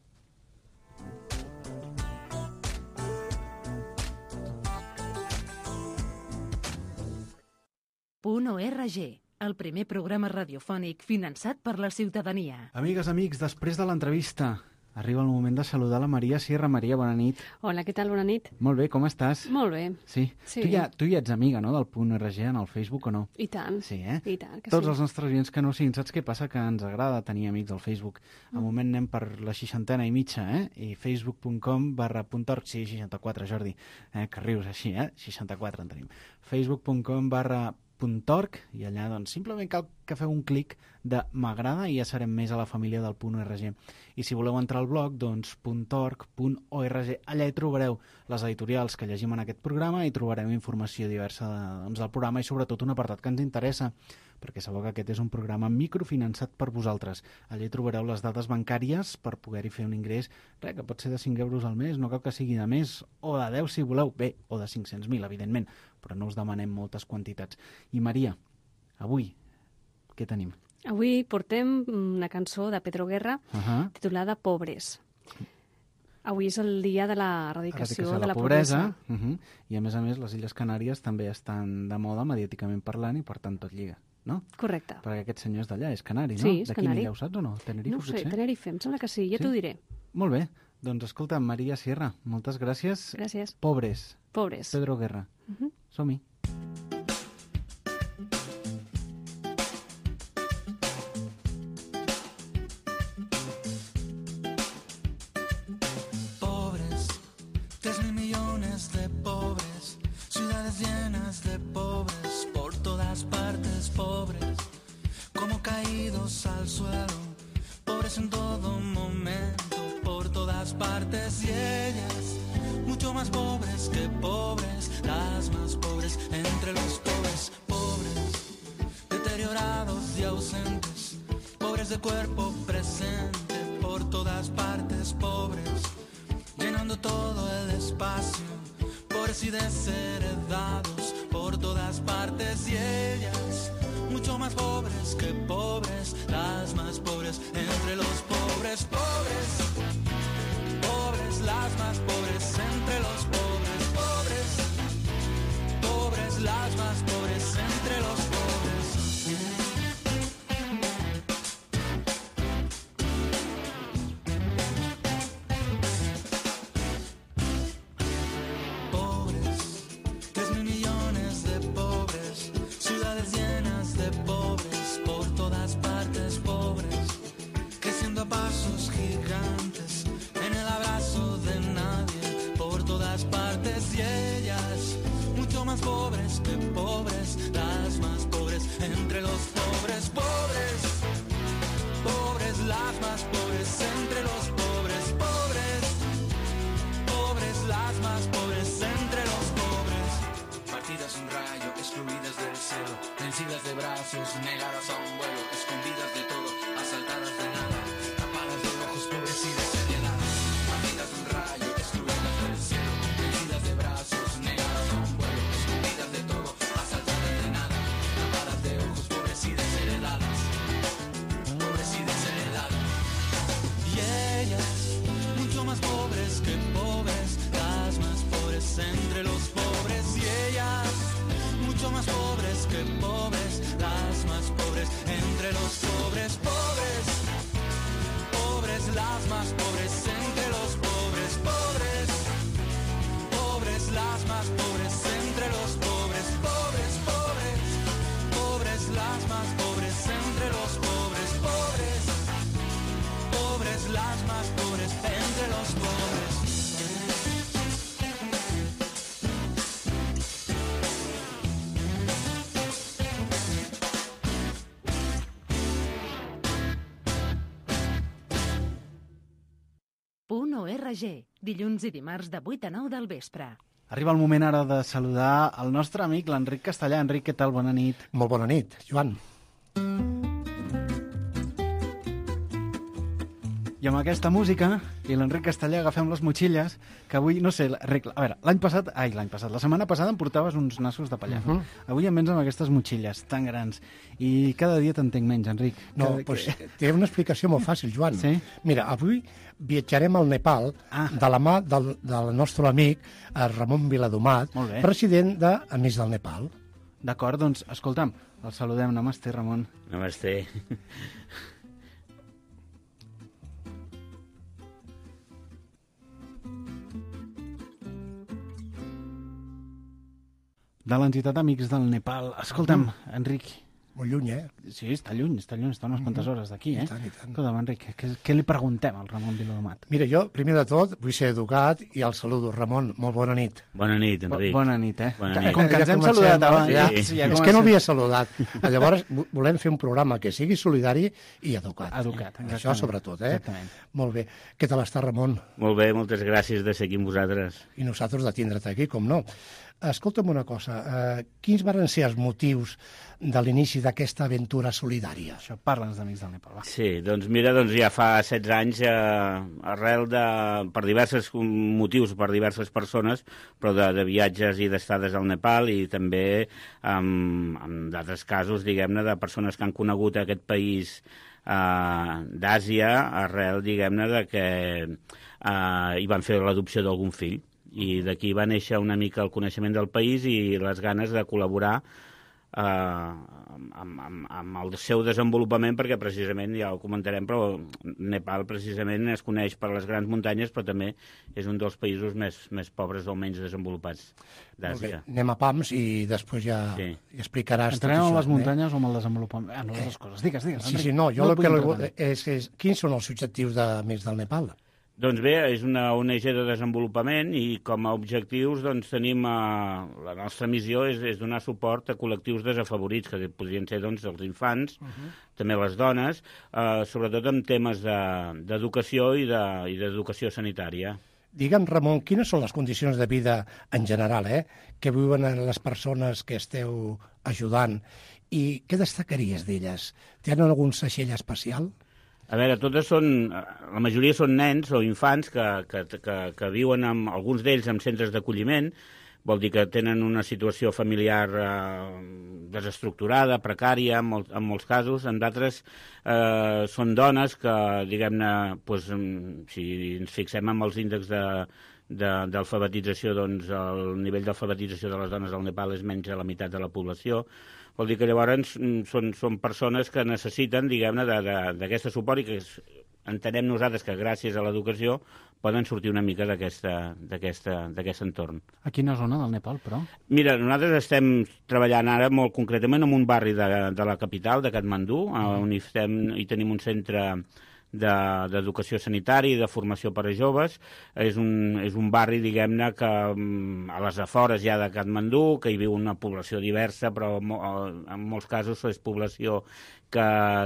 Punt O R G, el primer programa radiofònic finançat per la ciutadania. Amigues, amics, després de l'entrevista arriba el moment de saludar la Maria Sierra. Maria, bona nit. Hola, què tal? Bona nit. Molt bé, com estàs? Molt bé. Sí? Sí. Tu, ja, tu ja ets amiga, no?, del Punt R G en el Facebook o no? I tant. Sí, eh? I tant, que Tots sí. els nostres oients que no siguin, saps què passa? Que ens agrada tenir amics al Facebook. Al moment anem per la seixantena i mitja, eh? I facebook punt com barra punt org, sí, seixanta-quatre, Jordi, eh? Que rius així, eh? seixanta-quatre en tenim. facebook punt com barra .org, i allà doncs simplement cal que feu un clic de m'agrada i ja serem més a la família del Punt O R G. I si voleu entrar al blog, doncs .org punt org, allà hi trobareu les editorials que llegim en aquest programa i trobareu informació diversa de, doncs, del programa i sobretot un apartat que ens interessa, perquè sabeu que aquest és un programa microfinançat per vosaltres. Allà hi trobareu les dades bancàries per poder-hi fer un ingrés, res, que pot ser de cinc euros al mes, no cal que sigui de més, o de deu si voleu, bé, o de cinc-cents mil, evidentment, però no us demanem moltes quantitats. I Maria, avui, què tenim? Avui portem una cançó de Pedro Guerra Uh -huh. titulada Pobres. Avui és el dia de la erradicació, Erradicació de la pobresa. Uh -huh. I a més a més les Illes Canàries també estan de moda mediàticament parlant i per tant tot lliga, no? Correcte. Perquè aquest senyor és d'allà, és canari, no? Sí, és de quina canari. illa, ho saps o no? Tenerife, No ho sé, potser? Tenerife, em sembla que sí, ja Sí? t'ho diré. Molt bé, doncs escolta, Maria Sierra, moltes gràcies. Gràcies. Pobres, Pobres. Pedro Guerra. Uh -huh. Som-hi. Pobres, tres mil millones de pobres, ciudades llenas de pobres, por todas partes pobres, como caídos al suelo, pobres en todo momento, por todas partes, y ellas, mucho más pobres que pobres, las más pobres entre los pobres, pobres, deteriorados y ausentes, pobres de cuerpo presente, por todas partes pobres, llenando todo el espacio, pobres y desheredados, por todas partes, y ellas, mucho más pobres que pobres, las más pobres entre los pobres, pobres, pobres, punt org, dilluns i dimarts de vuit a nou del vespre. Arriba el moment ara de saludar el nostre amic, l'Enric Castellà. Enric, què tal? Bona nit. Molt bona nit, Joan. I amb aquesta música i l'Enric Castellà agafem les motxilles, que avui, no sé, Enric, a veure, l'any passat, ai, l'any passat, la setmana passada em portaves uns nassos de pallà. Uh -huh. Avui em vens amb aquestes motxilles tan grans i cada dia t'entenc menys, Enric. No, Cada... doncs té una explicació molt fàcil, Joan. Sí? Mira, avui viatjarem al Nepal ah. de la mà del, del nostre amic Ramon Viladomat, president d'Amics del Nepal. D'acord, doncs, escolta'm, el saludem. Namasté, Ramon. Namasté. De l'entitat Amics del Nepal. Escolta'm, mm. Enric. Molt lluny, eh? Sí, està lluny, està lluny, està unes quantes mm-hmm. hores d'aquí, eh? I tant, i tant. Escolta'm, Enric, què, què li preguntem al Ramon Viladomat? Mira, jo, primer de tot, vull ser educat i el saludo. Ramon, molt bona nit. Bona nit, Enric. Bo bona nit, eh? Bona nit. Com que ens hem saludat abans. Ja, sí. Ja és que no havia saludat. Llavors, volem fer un programa que sigui solidari i educat. Educat, exactament. Això sobretot, eh? Exactament. Molt bé. Què tal està, Ramon? Molt bé, moltes gràcies de ser aquí amb vosaltres. I nosaltres de tindre't aquí, com no. Escolta'm una cosa, eh, quins van ser els motius de l'inici d'aquesta aventura solidària? Això, parla'ns d'Amics del Nepal, va. Sí, doncs mira, doncs ja fa setze anys, eh, arrel de, per diversos motius, per diverses persones, però de, de viatges i d'estades al Nepal i també en, en d'altres casos, diguem-ne, de persones que han conegut aquest país eh, d'Àsia arrel, diguem-ne, de que eh, hi van fer l'adopció d'algun fill. I d'aquí va néixer una mica el coneixement del país i les ganes de col·laborar eh, amb, amb, amb el seu desenvolupament, perquè precisament, ja ho comentarem, però Nepal precisament es coneix per les grans muntanyes, però també és un dels països més, més pobres o menys desenvolupats d'Àsia. Anem a pams i després ja, sí. ja explicaràs Entrenem tot això. amb les muntanyes eh? o amb el desenvolupament? Ah, no, les dues coses. Digues, digues. Sí, sí, no, jo no el que li... és, és... Quins són els objectius d'Amics del Nepal? Doncs bé, és una O N G de desenvolupament i com a objectius doncs, tenim eh, la nostra missió és, és donar suport a col·lectius desafavorits, que podrien ser doncs, els infants, uh-huh. també les dones, eh, sobretot en temes d'educació de, i d'educació de, sanitària. Digue'm, Ramon, quines són les condicions de vida en general eh, que viuen les persones que esteu ajudant i què destacaries d'elles? Tenen algun seixell especial? A veure, totes són, la majoria són nens o infants que, que, que, que viuen, amb, alguns d'ells, en centres d'acolliment, vol dir que tenen una situació familiar eh, desestructurada, precària, en, molt, en molts casos. En d'altres eh, són dones que, diguem-ne, doncs, si ens fixem en els índexs de, de, d'alfabetització, doncs el nivell d'alfabetització de les dones al Nepal és menys de la meitat de la població. Vol dir que llavors són, són persones que necessiten, diguem-ne, d'aquest suport i que entenem nosaltres que gràcies a l'educació poden sortir una mica d'aquest entorn. A quina zona del Nepal, però? Mira, nosaltres estem treballant ara molt concretament en un barri de, de la capital, de Katmandú, mm. on hi, estem, hi tenim un centre d'educació sanitària i de formació per a joves. És un, és un barri, diguem-ne, que a les afores ja de Katmandú, que hi viu una població diversa, però en molts casos és població que,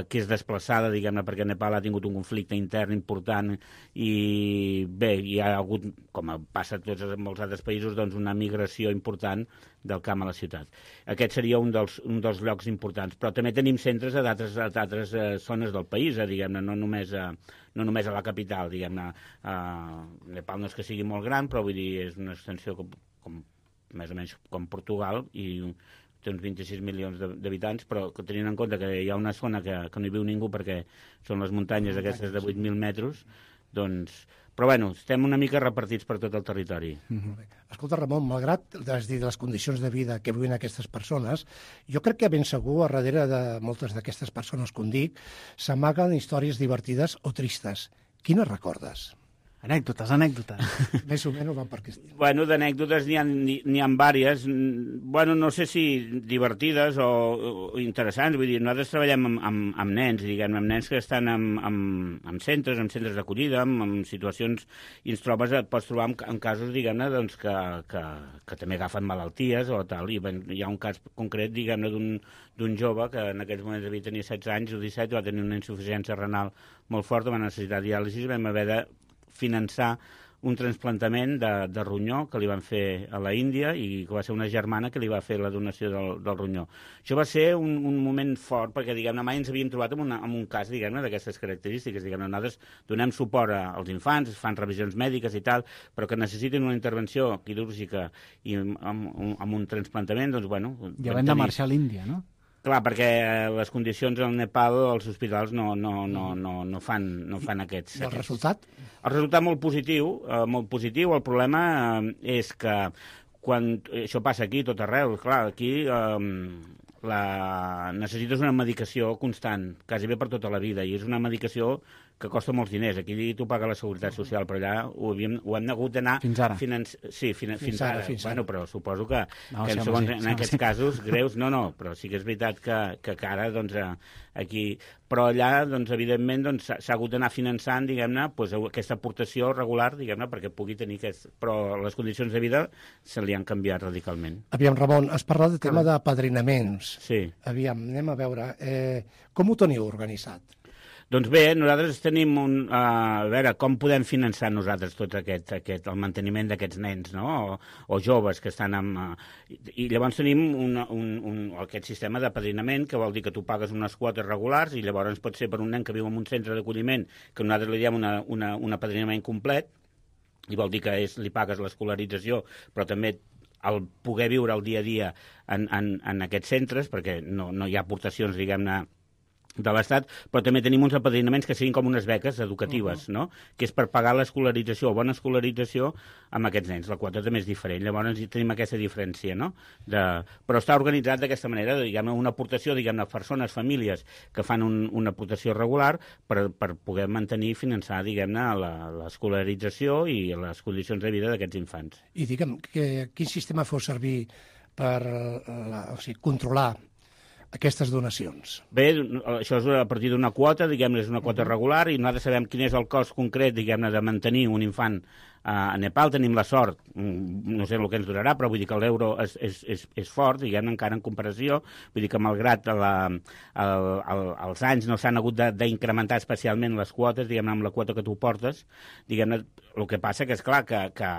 que és desplaçada, diguem-ne, perquè Nepal ha tingut un conflicte intern important i bé, hi ha hagut, com passa a tots en molts altres països, doncs una migració important del camp a la ciutat. Aquest seria un dels, un dels llocs importants, però també tenim centres a d'altres eh, zones del país, eh, diguem-ne, no només a, no només a la capital, diguem-ne. Eh, Nepal no és que sigui molt gran, però vull dir, és una extensió com, com més o menys com Portugal i té uns vint-i-sis milions d'habitants, però que tenint en compte que hi ha una zona que, que no hi viu ningú perquè són les muntanyes aquestes de vuit mil metres, doncs... Però, bueno, estem una mica repartits per tot el territori. Mm-hmm. Escolta, Ramon, malgrat has dit les condicions de vida que viuen aquestes persones, jo crec que ben segur, a darrere de moltes d'aquestes persones, com dic, s'amaguen històries divertides o tristes. Quines recordes? Anècdotes, anècdotes. Més o menys van per aquest. Bueno, d'anècdotes n'hi ha, n'hi ha diverses. Bueno, no sé si divertides o, o interessants. Vull dir, nosaltres treballem amb, amb, amb nens, diguem, amb nens que estan en, en, en centres, en centres d'acollida, en, en situacions, i ens trobes, et pots trobar en, en casos, diguem-ne, doncs, que, que, que també agafen malalties o tal. I ben, hi ha un cas concret, diguem-ne, d'un d'un jove que en aquells moments devia tenir setze anys o disset, va tenir una insuficiència renal molt forta, va necessitar diàlisi, vam haver de finançar un transplantament de, de ronyó que li van fer a la Índia i que va ser una germana que li va fer la donació del, del ronyó. Això va ser un, un moment fort perquè, diguem-ne, mai ens havíem trobat en, una, en un cas, diguem-ne, d'aquestes característiques. Diguem-ne, nosaltres donem suport a, als infants, fan revisions mèdiques i tal, però que necessiten una intervenció quirúrgica i amb, amb, amb un transplantament, doncs, bueno... Ja vam de marxar a l'Índia, no? Clar, perquè les condicions al Nepal, els hospitals no, no, no, no, no, fan, no fan aquests... I el aquests. resultat? El resultat molt positiu, eh, molt positiu. El problema eh, és que quan això passa aquí, tot arreu, clar, aquí eh, la... necessites una medicació constant, quasi bé per tota la vida, i és una medicació que costa molts diners. Aquí tu paga la Seguretat Social, però allà ho, havíem, ho hem hagut d'anar... Fins ara. Financi... Sí, fin... fins, fins ara. Fins ara. Bueno, però suposo que, no, que sí, en, segons, sí, en sí, aquests sí. casos greus... No, no, però sí que és veritat que, que, que ara, doncs, aquí... Però allà, doncs, evidentment, doncs, s'ha hagut d'anar finançant, diguem-ne, doncs, aquesta aportació regular, diguem-ne, perquè pugui tenir aquest... Però les condicions de vida se li han canviat radicalment. Aviam, Ramon, has parlat de tema d'apadrinaments. Sí. Aviam, anem a veure. Eh, com ho teniu organitzat? Doncs bé, nosaltres tenim un... Uh, a veure, com podem finançar nosaltres tot aquest, aquest el manteniment d'aquests nens, no? O, o joves que estan amb... Uh, I llavors tenim un, un, un, aquest sistema d'apadrinament, que vol dir que tu pagues unes quotes regulars i llavors pot ser per un nen que viu en un centre d'acolliment, que nosaltres li diem una, una, un apadrinament complet, i vol dir que és, li pagues l'escolarització, però també el poder viure el dia a dia en, en, en aquests centres, perquè no, no hi ha aportacions, diguem-ne, de l'Estat, però també tenim uns apadrinaments que siguin com unes beques educatives, uh-huh. no? Que és per pagar l'escolarització o bona escolarització amb aquests nens. La quota també és diferent, llavors tenim aquesta diferència, no? De... Però està organitzat d'aquesta manera, diguem-ne, una aportació, diguem-ne, persones, famílies que fan un, una aportació regular per, per poder mantenir i finançar, diguem-ne, l'escolarització i les condicions de vida d'aquests infants. I digue'm, que, quin sistema feu servir per la, o sigui, controlar aquestes donacions? Bé, això és a partir d'una quota, diguem-ne, és una quota regular, i nosaltres sabem quin és el cost concret, diguem-ne, de mantenir un infant a Nepal. Tenim la sort, no sé el que ens durarà, però vull dir que l'euro és, és, és, és fort, diguem-ne, encara en comparació, vull dir que malgrat la, el, el, els anys no s'han hagut d'incrementar especialment les quotes, diguem-ne, amb la quota que tu portes, diguem-ne, el que passa que és clar que, que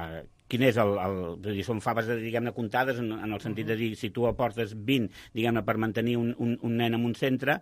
quin és el... el dir, són faves, diguem-ne, comptades en, en el sentit de dir, si tu aportes vint, diguem-ne, per mantenir un, un, un nen en un centre,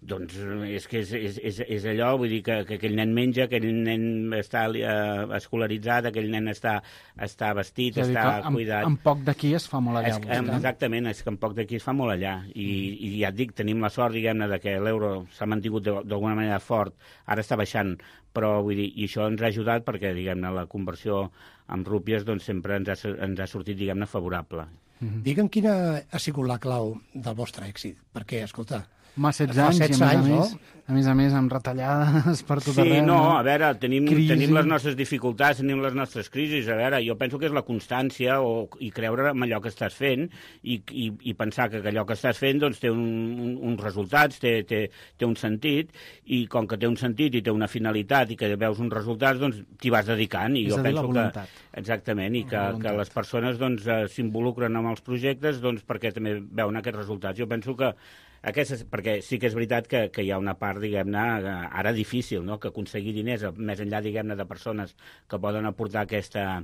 doncs és que és, és, és, és allò, vull dir que, que aquell nen menja, aquell nen està eh, escolaritzat, aquell nen està, està vestit, és a dir, està en, cuidat. En poc d'aquí es fa molt allà. És, eh, exactament, és que en poc d'aquí es fa molt allà. I, i ja et dic, tenim la sort, diguem-ne, de que l'euro s'ha mantingut d'alguna manera fort, ara està baixant, però vull dir, i això ens ha ajudat perquè, diguem-ne, la conversió amb rúpies doncs, sempre ens ha, ens ha sortit, diguem-ne, favorable. Mm-hmm. Digue'm quina ha sigut la clau del vostre èxit, perquè, escolta... Home, setze anys, i a més, anys, a, més, no? a més a més amb retallades per tot sí, arreu. Sí, no, a veure, tenim, tenim les nostres dificultats, tenim les nostres crisis, a veure, jo penso que és la constància o, i creure en allò que estàs fent i, i, i pensar que allò que estàs fent doncs, té un, un, uns resultats, té, té, té un sentit, i com que té un sentit i té una finalitat i que veus uns resultats, doncs t'hi vas dedicant. I és jo a dir, penso la voluntat. Que, exactament, i que, que les persones doncs, s'involucren en els projectes doncs, perquè també veuen aquests resultats. Jo penso que Aquestes, perquè sí que és veritat que, que hi ha una part, diguem-ne, ara difícil, no? Que aconseguir diners, més enllà, diguem-ne, de persones que poden aportar aquesta,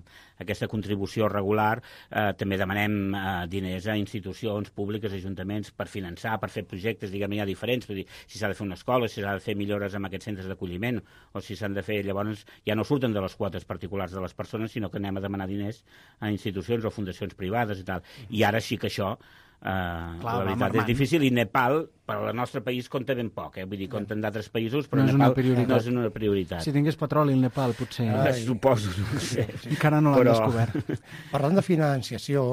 aquesta contribució regular, eh, també demanem eh, diners a institucions públiques, ajuntaments, per finançar, per fer projectes, diguem-ne, ja diferents, vull dir, si s'ha de fer una escola, si s'ha de fer millores en aquests centres d'acolliment, o si s'han de fer, llavors, ja no surten de les quotes particulars de les persones, sinó que anem a demanar diners a institucions o fundacions privades i tal. I ara sí que això Uh, Clar, la veritat és difícil, i Nepal per al nostre país compta ben poc, eh? Vull dir, compta en d'altres països, però no Nepal no és una prioritat. Si tingués petroli el Nepal, potser... Ai, suposo, no sé. Encara no l'han però... descobert. Parlant de financiació,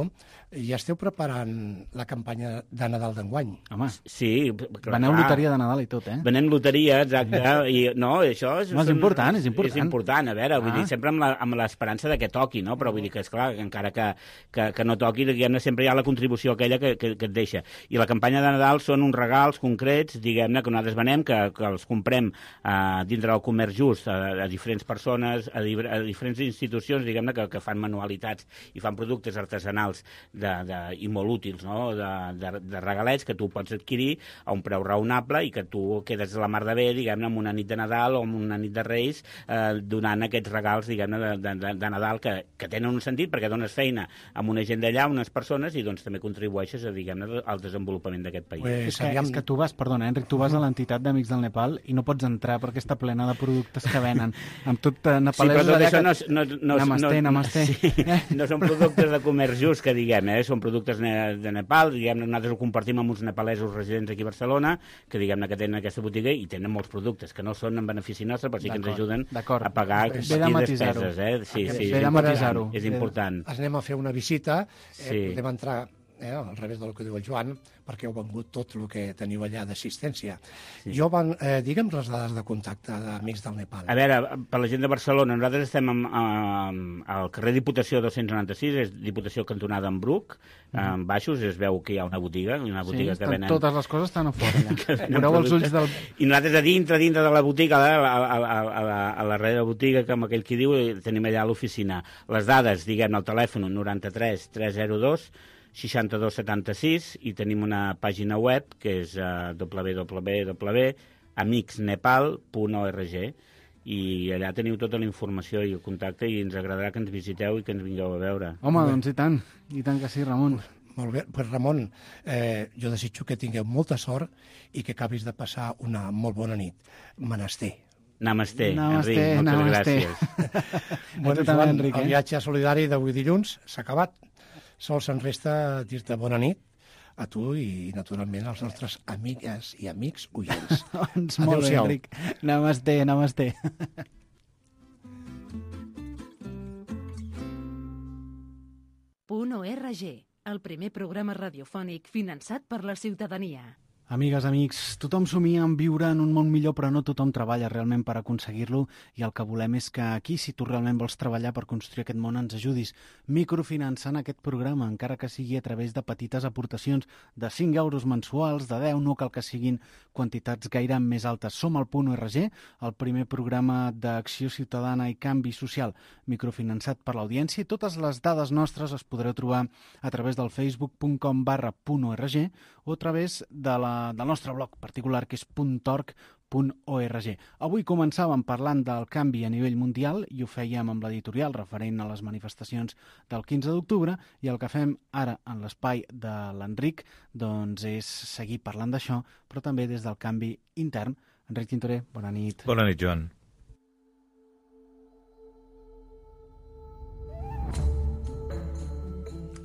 ja esteu preparant la campanya de Nadal d'enguany. Home, sí, clar, veneu loteria de Nadal i tot, eh? Venem loteria, exacte, i no, això és... No, és important, és important. És important, a veure, ah. vull dir, sempre amb l'esperança de que toqui, no? Però vull dir que, esclar, encara que, que, que no toqui, diguem-ne, sempre hi ha la contribució aquella que, que, que, que et deixa. I la campanya de Nadal són uns regals concrets, diguem-ne, que nosaltres venem, que, que els comprem uh, dintre del comerç just a, a diferents persones, a, di a diferents institucions, diguem-ne, que, que fan manualitats i fan productes artesanals de, de, i molt útils, no? de, de, de regalets que tu pots adquirir a un preu raonable i que tu quedes a la mar de bé, diguem-ne, amb una nit de Nadal o amb una nit de Reis, eh, donant aquests regals, diguem-ne, de, de, de Nadal que, que tenen un sentit perquè dones feina amb una gent d'allà, unes persones, i doncs també contribueixes a, diguem-ne, al desenvolupament d'aquest país. Pues, és, que, és que tu vas, perdona, Enric, tu vas a l'entitat d'Amics del Nepal i no pots entrar perquè està plena de productes que venen, amb tot eh, nepalesos... Sí, però tot això que... no, no, no, namasté, no, namasté. Sí, no són productes de comerç just, que diguem, eh? Són productes de Nepal, diguem-ne, nosaltres ho compartim amb uns nepalesos residents aquí a Barcelona, que diguem-ne que tenen aquesta botiga i tenen molts productes que no són en benefici nostre, però sí que ens ajuden a pagar petites despeses. Eh? Sí, sí, és important. És important. Anem a fer una visita, eh, sí. podem entrar eh, al revés del que diu el Joan, perquè heu vengut tot el que teniu allà d'assistència. Sí. Jo van, eh, digue'm les dades de contacte d'Amics del Nepal. A veure, per la gent de Barcelona, nosaltres estem amb, amb, al carrer Diputació dos-cents noranta-sis, és Diputació cantonada en Bruc, mm. en baixos es veu que hi ha una botiga, una botiga sí, que venen... totes les coses estan a fora, allà. Veureu els ulls del... I nosaltres a dintre, dintre de la botiga, a la, a, a, a, la, a la darrere de la botiga, com aquell qui diu, tenim allà a l'oficina. Les dades, diguem, al telèfon noranta-tres tres zero dos seixanta-dos setanta-sis i tenim una pàgina web que és uh, w w w punt amics nepal punt org i allà teniu tota la informació i el contacte i ens agradarà que ens visiteu i que ens vingueu a veure. Home, doncs i tant, i tant que sí, Ramon. Molt bé, pues Ramon, eh, jo desitjo que tingueu molta sort i que acabis de passar una molt bona nit. Menester. Namasté, Namasté, Enric, moltes namasté. gràcies. Bueno, Joan, Enric, el viatge solidari d'avui dilluns s'ha acabat. Sols ens resta dir-te bona nit a tu i, naturalment, als nostres amigues i amics oients. Doncs molt bé, Enric. Namasté, namasté. Punt .org, el primer programa radiofònic finançat per la ciutadania. Amigues, amics, tothom somia en viure en un món millor, però no tothom treballa realment per aconseguir-lo i el que volem és que aquí, si tu realment vols treballar per construir aquest món, ens ajudis microfinançant aquest programa, encara que sigui a través de petites aportacions de cinc euros mensuals, de deu, no cal que siguin quantitats gaire més altes. Som al Punt .org, el primer programa d'acció ciutadana i canvi social microfinançat per l'audiència, i totes les dades nostres es podreu trobar a través del facebook punt com barra punt org o a través de la del nostre blog particular, que és punt org punt org. Avui començàvem parlant del canvi a nivell mundial i ho fèiem amb l'editorial referent a les manifestacions del quinze d'octubre, i el que fem ara en l'espai de l'Enric doncs és seguir parlant d'això, però també des del canvi intern. Enric Tintorer, bona nit. Bona nit, Joan.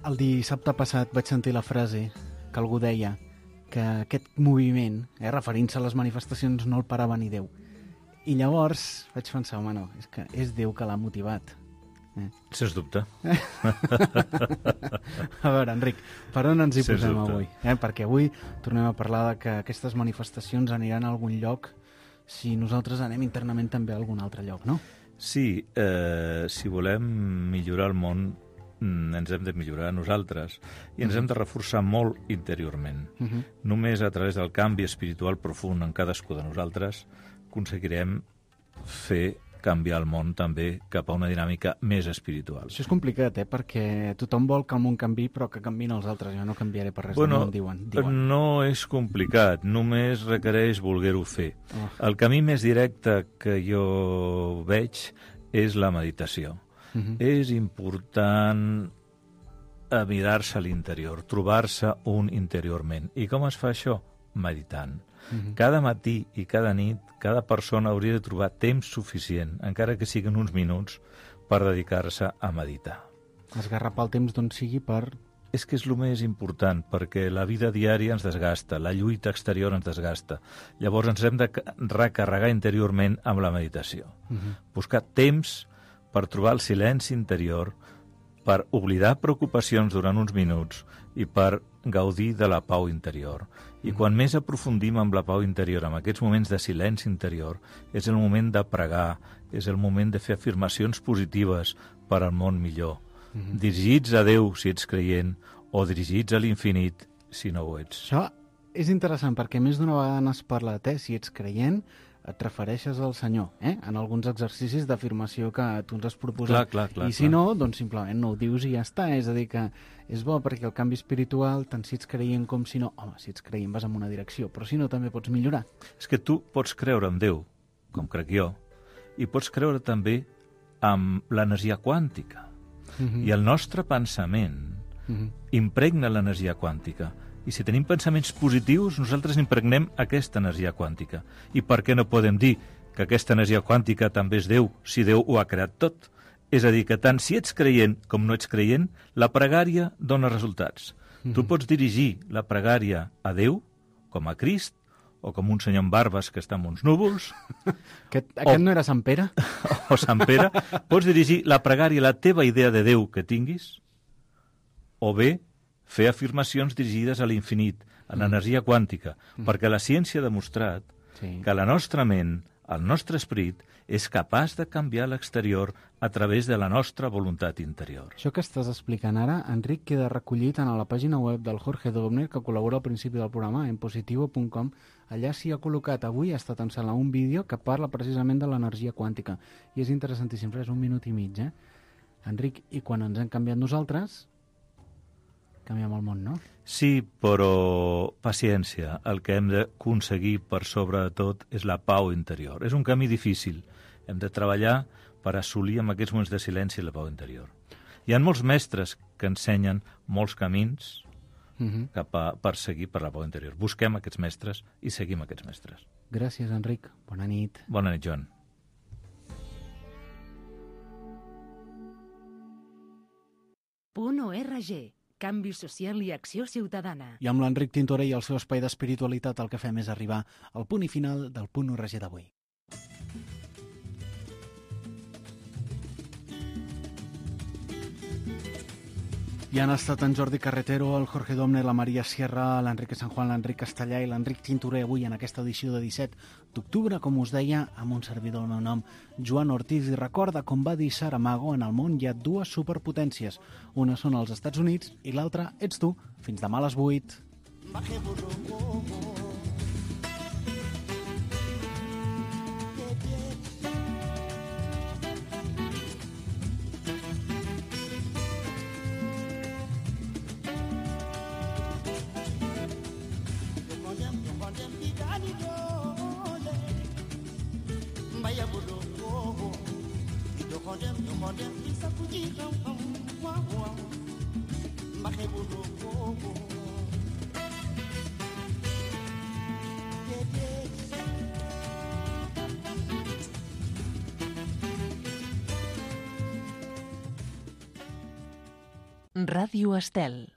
El dissabte passat vaig sentir la frase que algú deia que aquest moviment, eh, referint-se a les manifestacions, no el parava ni Déu. I llavors vaig pensar, home, no, és que és Déu que l'ha motivat. Eh? Sens dubte. A veure, Enric, per on ens hi Sens posem dubte. avui? Eh? Perquè avui tornem a parlar de que aquestes manifestacions aniran a algun lloc si nosaltres anem internament també a algun altre lloc, no? Sí, eh, si volem millorar el món, ens hem de millorar nosaltres i ens hem de reforçar molt interiorment. Uh -huh. Només a través del canvi espiritual profund en cadascú de nosaltres aconseguirem fer canviar el món també cap a una dinàmica més espiritual. Això és complicat, eh? Perquè tothom vol que el món canvi, però que canviïn els altres. Jo no canviaré per res bueno, del món, diuen. diuen. No és complicat, només requereix voler-ho fer. Oh. El camí més directe que jo veig és la meditació. Uh-huh. És important mirar-se a l'interior, trobar-se un interiorment. I com es fa això? Meditant. Uh-huh. Cada matí i cada nit, cada persona hauria de trobar temps suficient, encara que siguin uns minuts, per dedicar-se a meditar. Esgarrapar el temps d'on sigui per... És que és el més important, perquè la vida diària ens desgasta, la lluita exterior ens desgasta. Llavors ens hem de recarregar interiorment amb la meditació. Uh-huh. Buscar temps per trobar el silenci interior, per oblidar preocupacions durant uns minuts i per gaudir de la pau interior. I quan més aprofundim amb la pau interior, amb aquests moments de silenci interior, és el moment de pregar, és el moment de fer afirmacions positives per al món millor. Mm-hmm. Dirigits a Déu, si ets creient, o dirigits a l'infinit, si no ho ets. Això és interessant perquè més d'una vegada n'has parlat, eh? Si ets creient, et refereixes al Senyor, eh? En alguns exercicis d'afirmació que tu ens has proposat. Clar, clar, clar, I si clar. no, doncs simplement no ho dius i ja està. És a dir, que és bo perquè el canvi espiritual, tant si ets creient com si no... Home, si ets creient vas en una direcció, però si no també pots millorar. És que tu pots creure en Déu, com crec jo, i pots creure també amb l'energia quàntica. Mhm. I el nostre pensament Mhm. impregna l'energia quàntica. I si tenim pensaments positius, nosaltres impregnem aquesta energia quàntica. I per què no podem dir que aquesta energia quàntica també és Déu, si Déu ho ha creat tot? És a dir, que tant si ets creient com no ets creient, la pregària dona resultats. Mhm. Tu pots dirigir la pregària a Déu, com a Crist, o com un senyor amb barbes que està en uns núvols. Aquest, aquest no era Sant Pere? O Sant Pere. Pots dirigir la pregària a la teva idea de Déu que tinguis, o bé fer afirmacions dirigides a l'infinit, a l'energia quàntica, mm. perquè la ciència ha demostrat Sí. que la nostra ment, el nostre esperit, és capaç de canviar l'exterior a través de la nostra voluntat interior. Això que estàs explicant ara, Enric, queda recollit en la pàgina web del Jorge Dobner, que col·labora al principi del programa, en positivo punt com. Allà s'hi ha col·locat avui, ha estat ensenyant un vídeo que parla precisament de l'energia quàntica. I és interessantíssim, és un minut i mig, eh? Enric, i quan ens hem canviat nosaltres, canviem el món, no? Sí, però paciència. El que hem d'aconseguir per sobre de tot és la pau interior. És un camí difícil. Hem de treballar per assolir en aquests moments de silenci la pau interior. Hi ha molts mestres que ensenyen molts camins Uh-huh. cap a perseguir per la pau interior. Busquem aquests mestres i seguim aquests mestres. Gràcies, Enric. Bona nit. Bona nit, Joan. Punt .org. Canvi social i acció ciutadana. I amb l'Enric Tintoré i el seu espai d'espiritualitat el que fem és arribar al punt i final del Punt .org d'avui. I han estat en Jordi Carretero, el Jorge Domne, la Maria Sierra, l'Enrique San Juan, l'Enric Castellà i l'Enric Tintoré avui en aquesta edició de disset d'octubre, com us deia, amb un servidor del meu nom, Joan Ortiz. I recorda, com va dir Saramago, en el món hi ha dues superpotències. Una són els Estats Units i l'altra ets tu. Fins demà a les vuit. Ràdio Estel.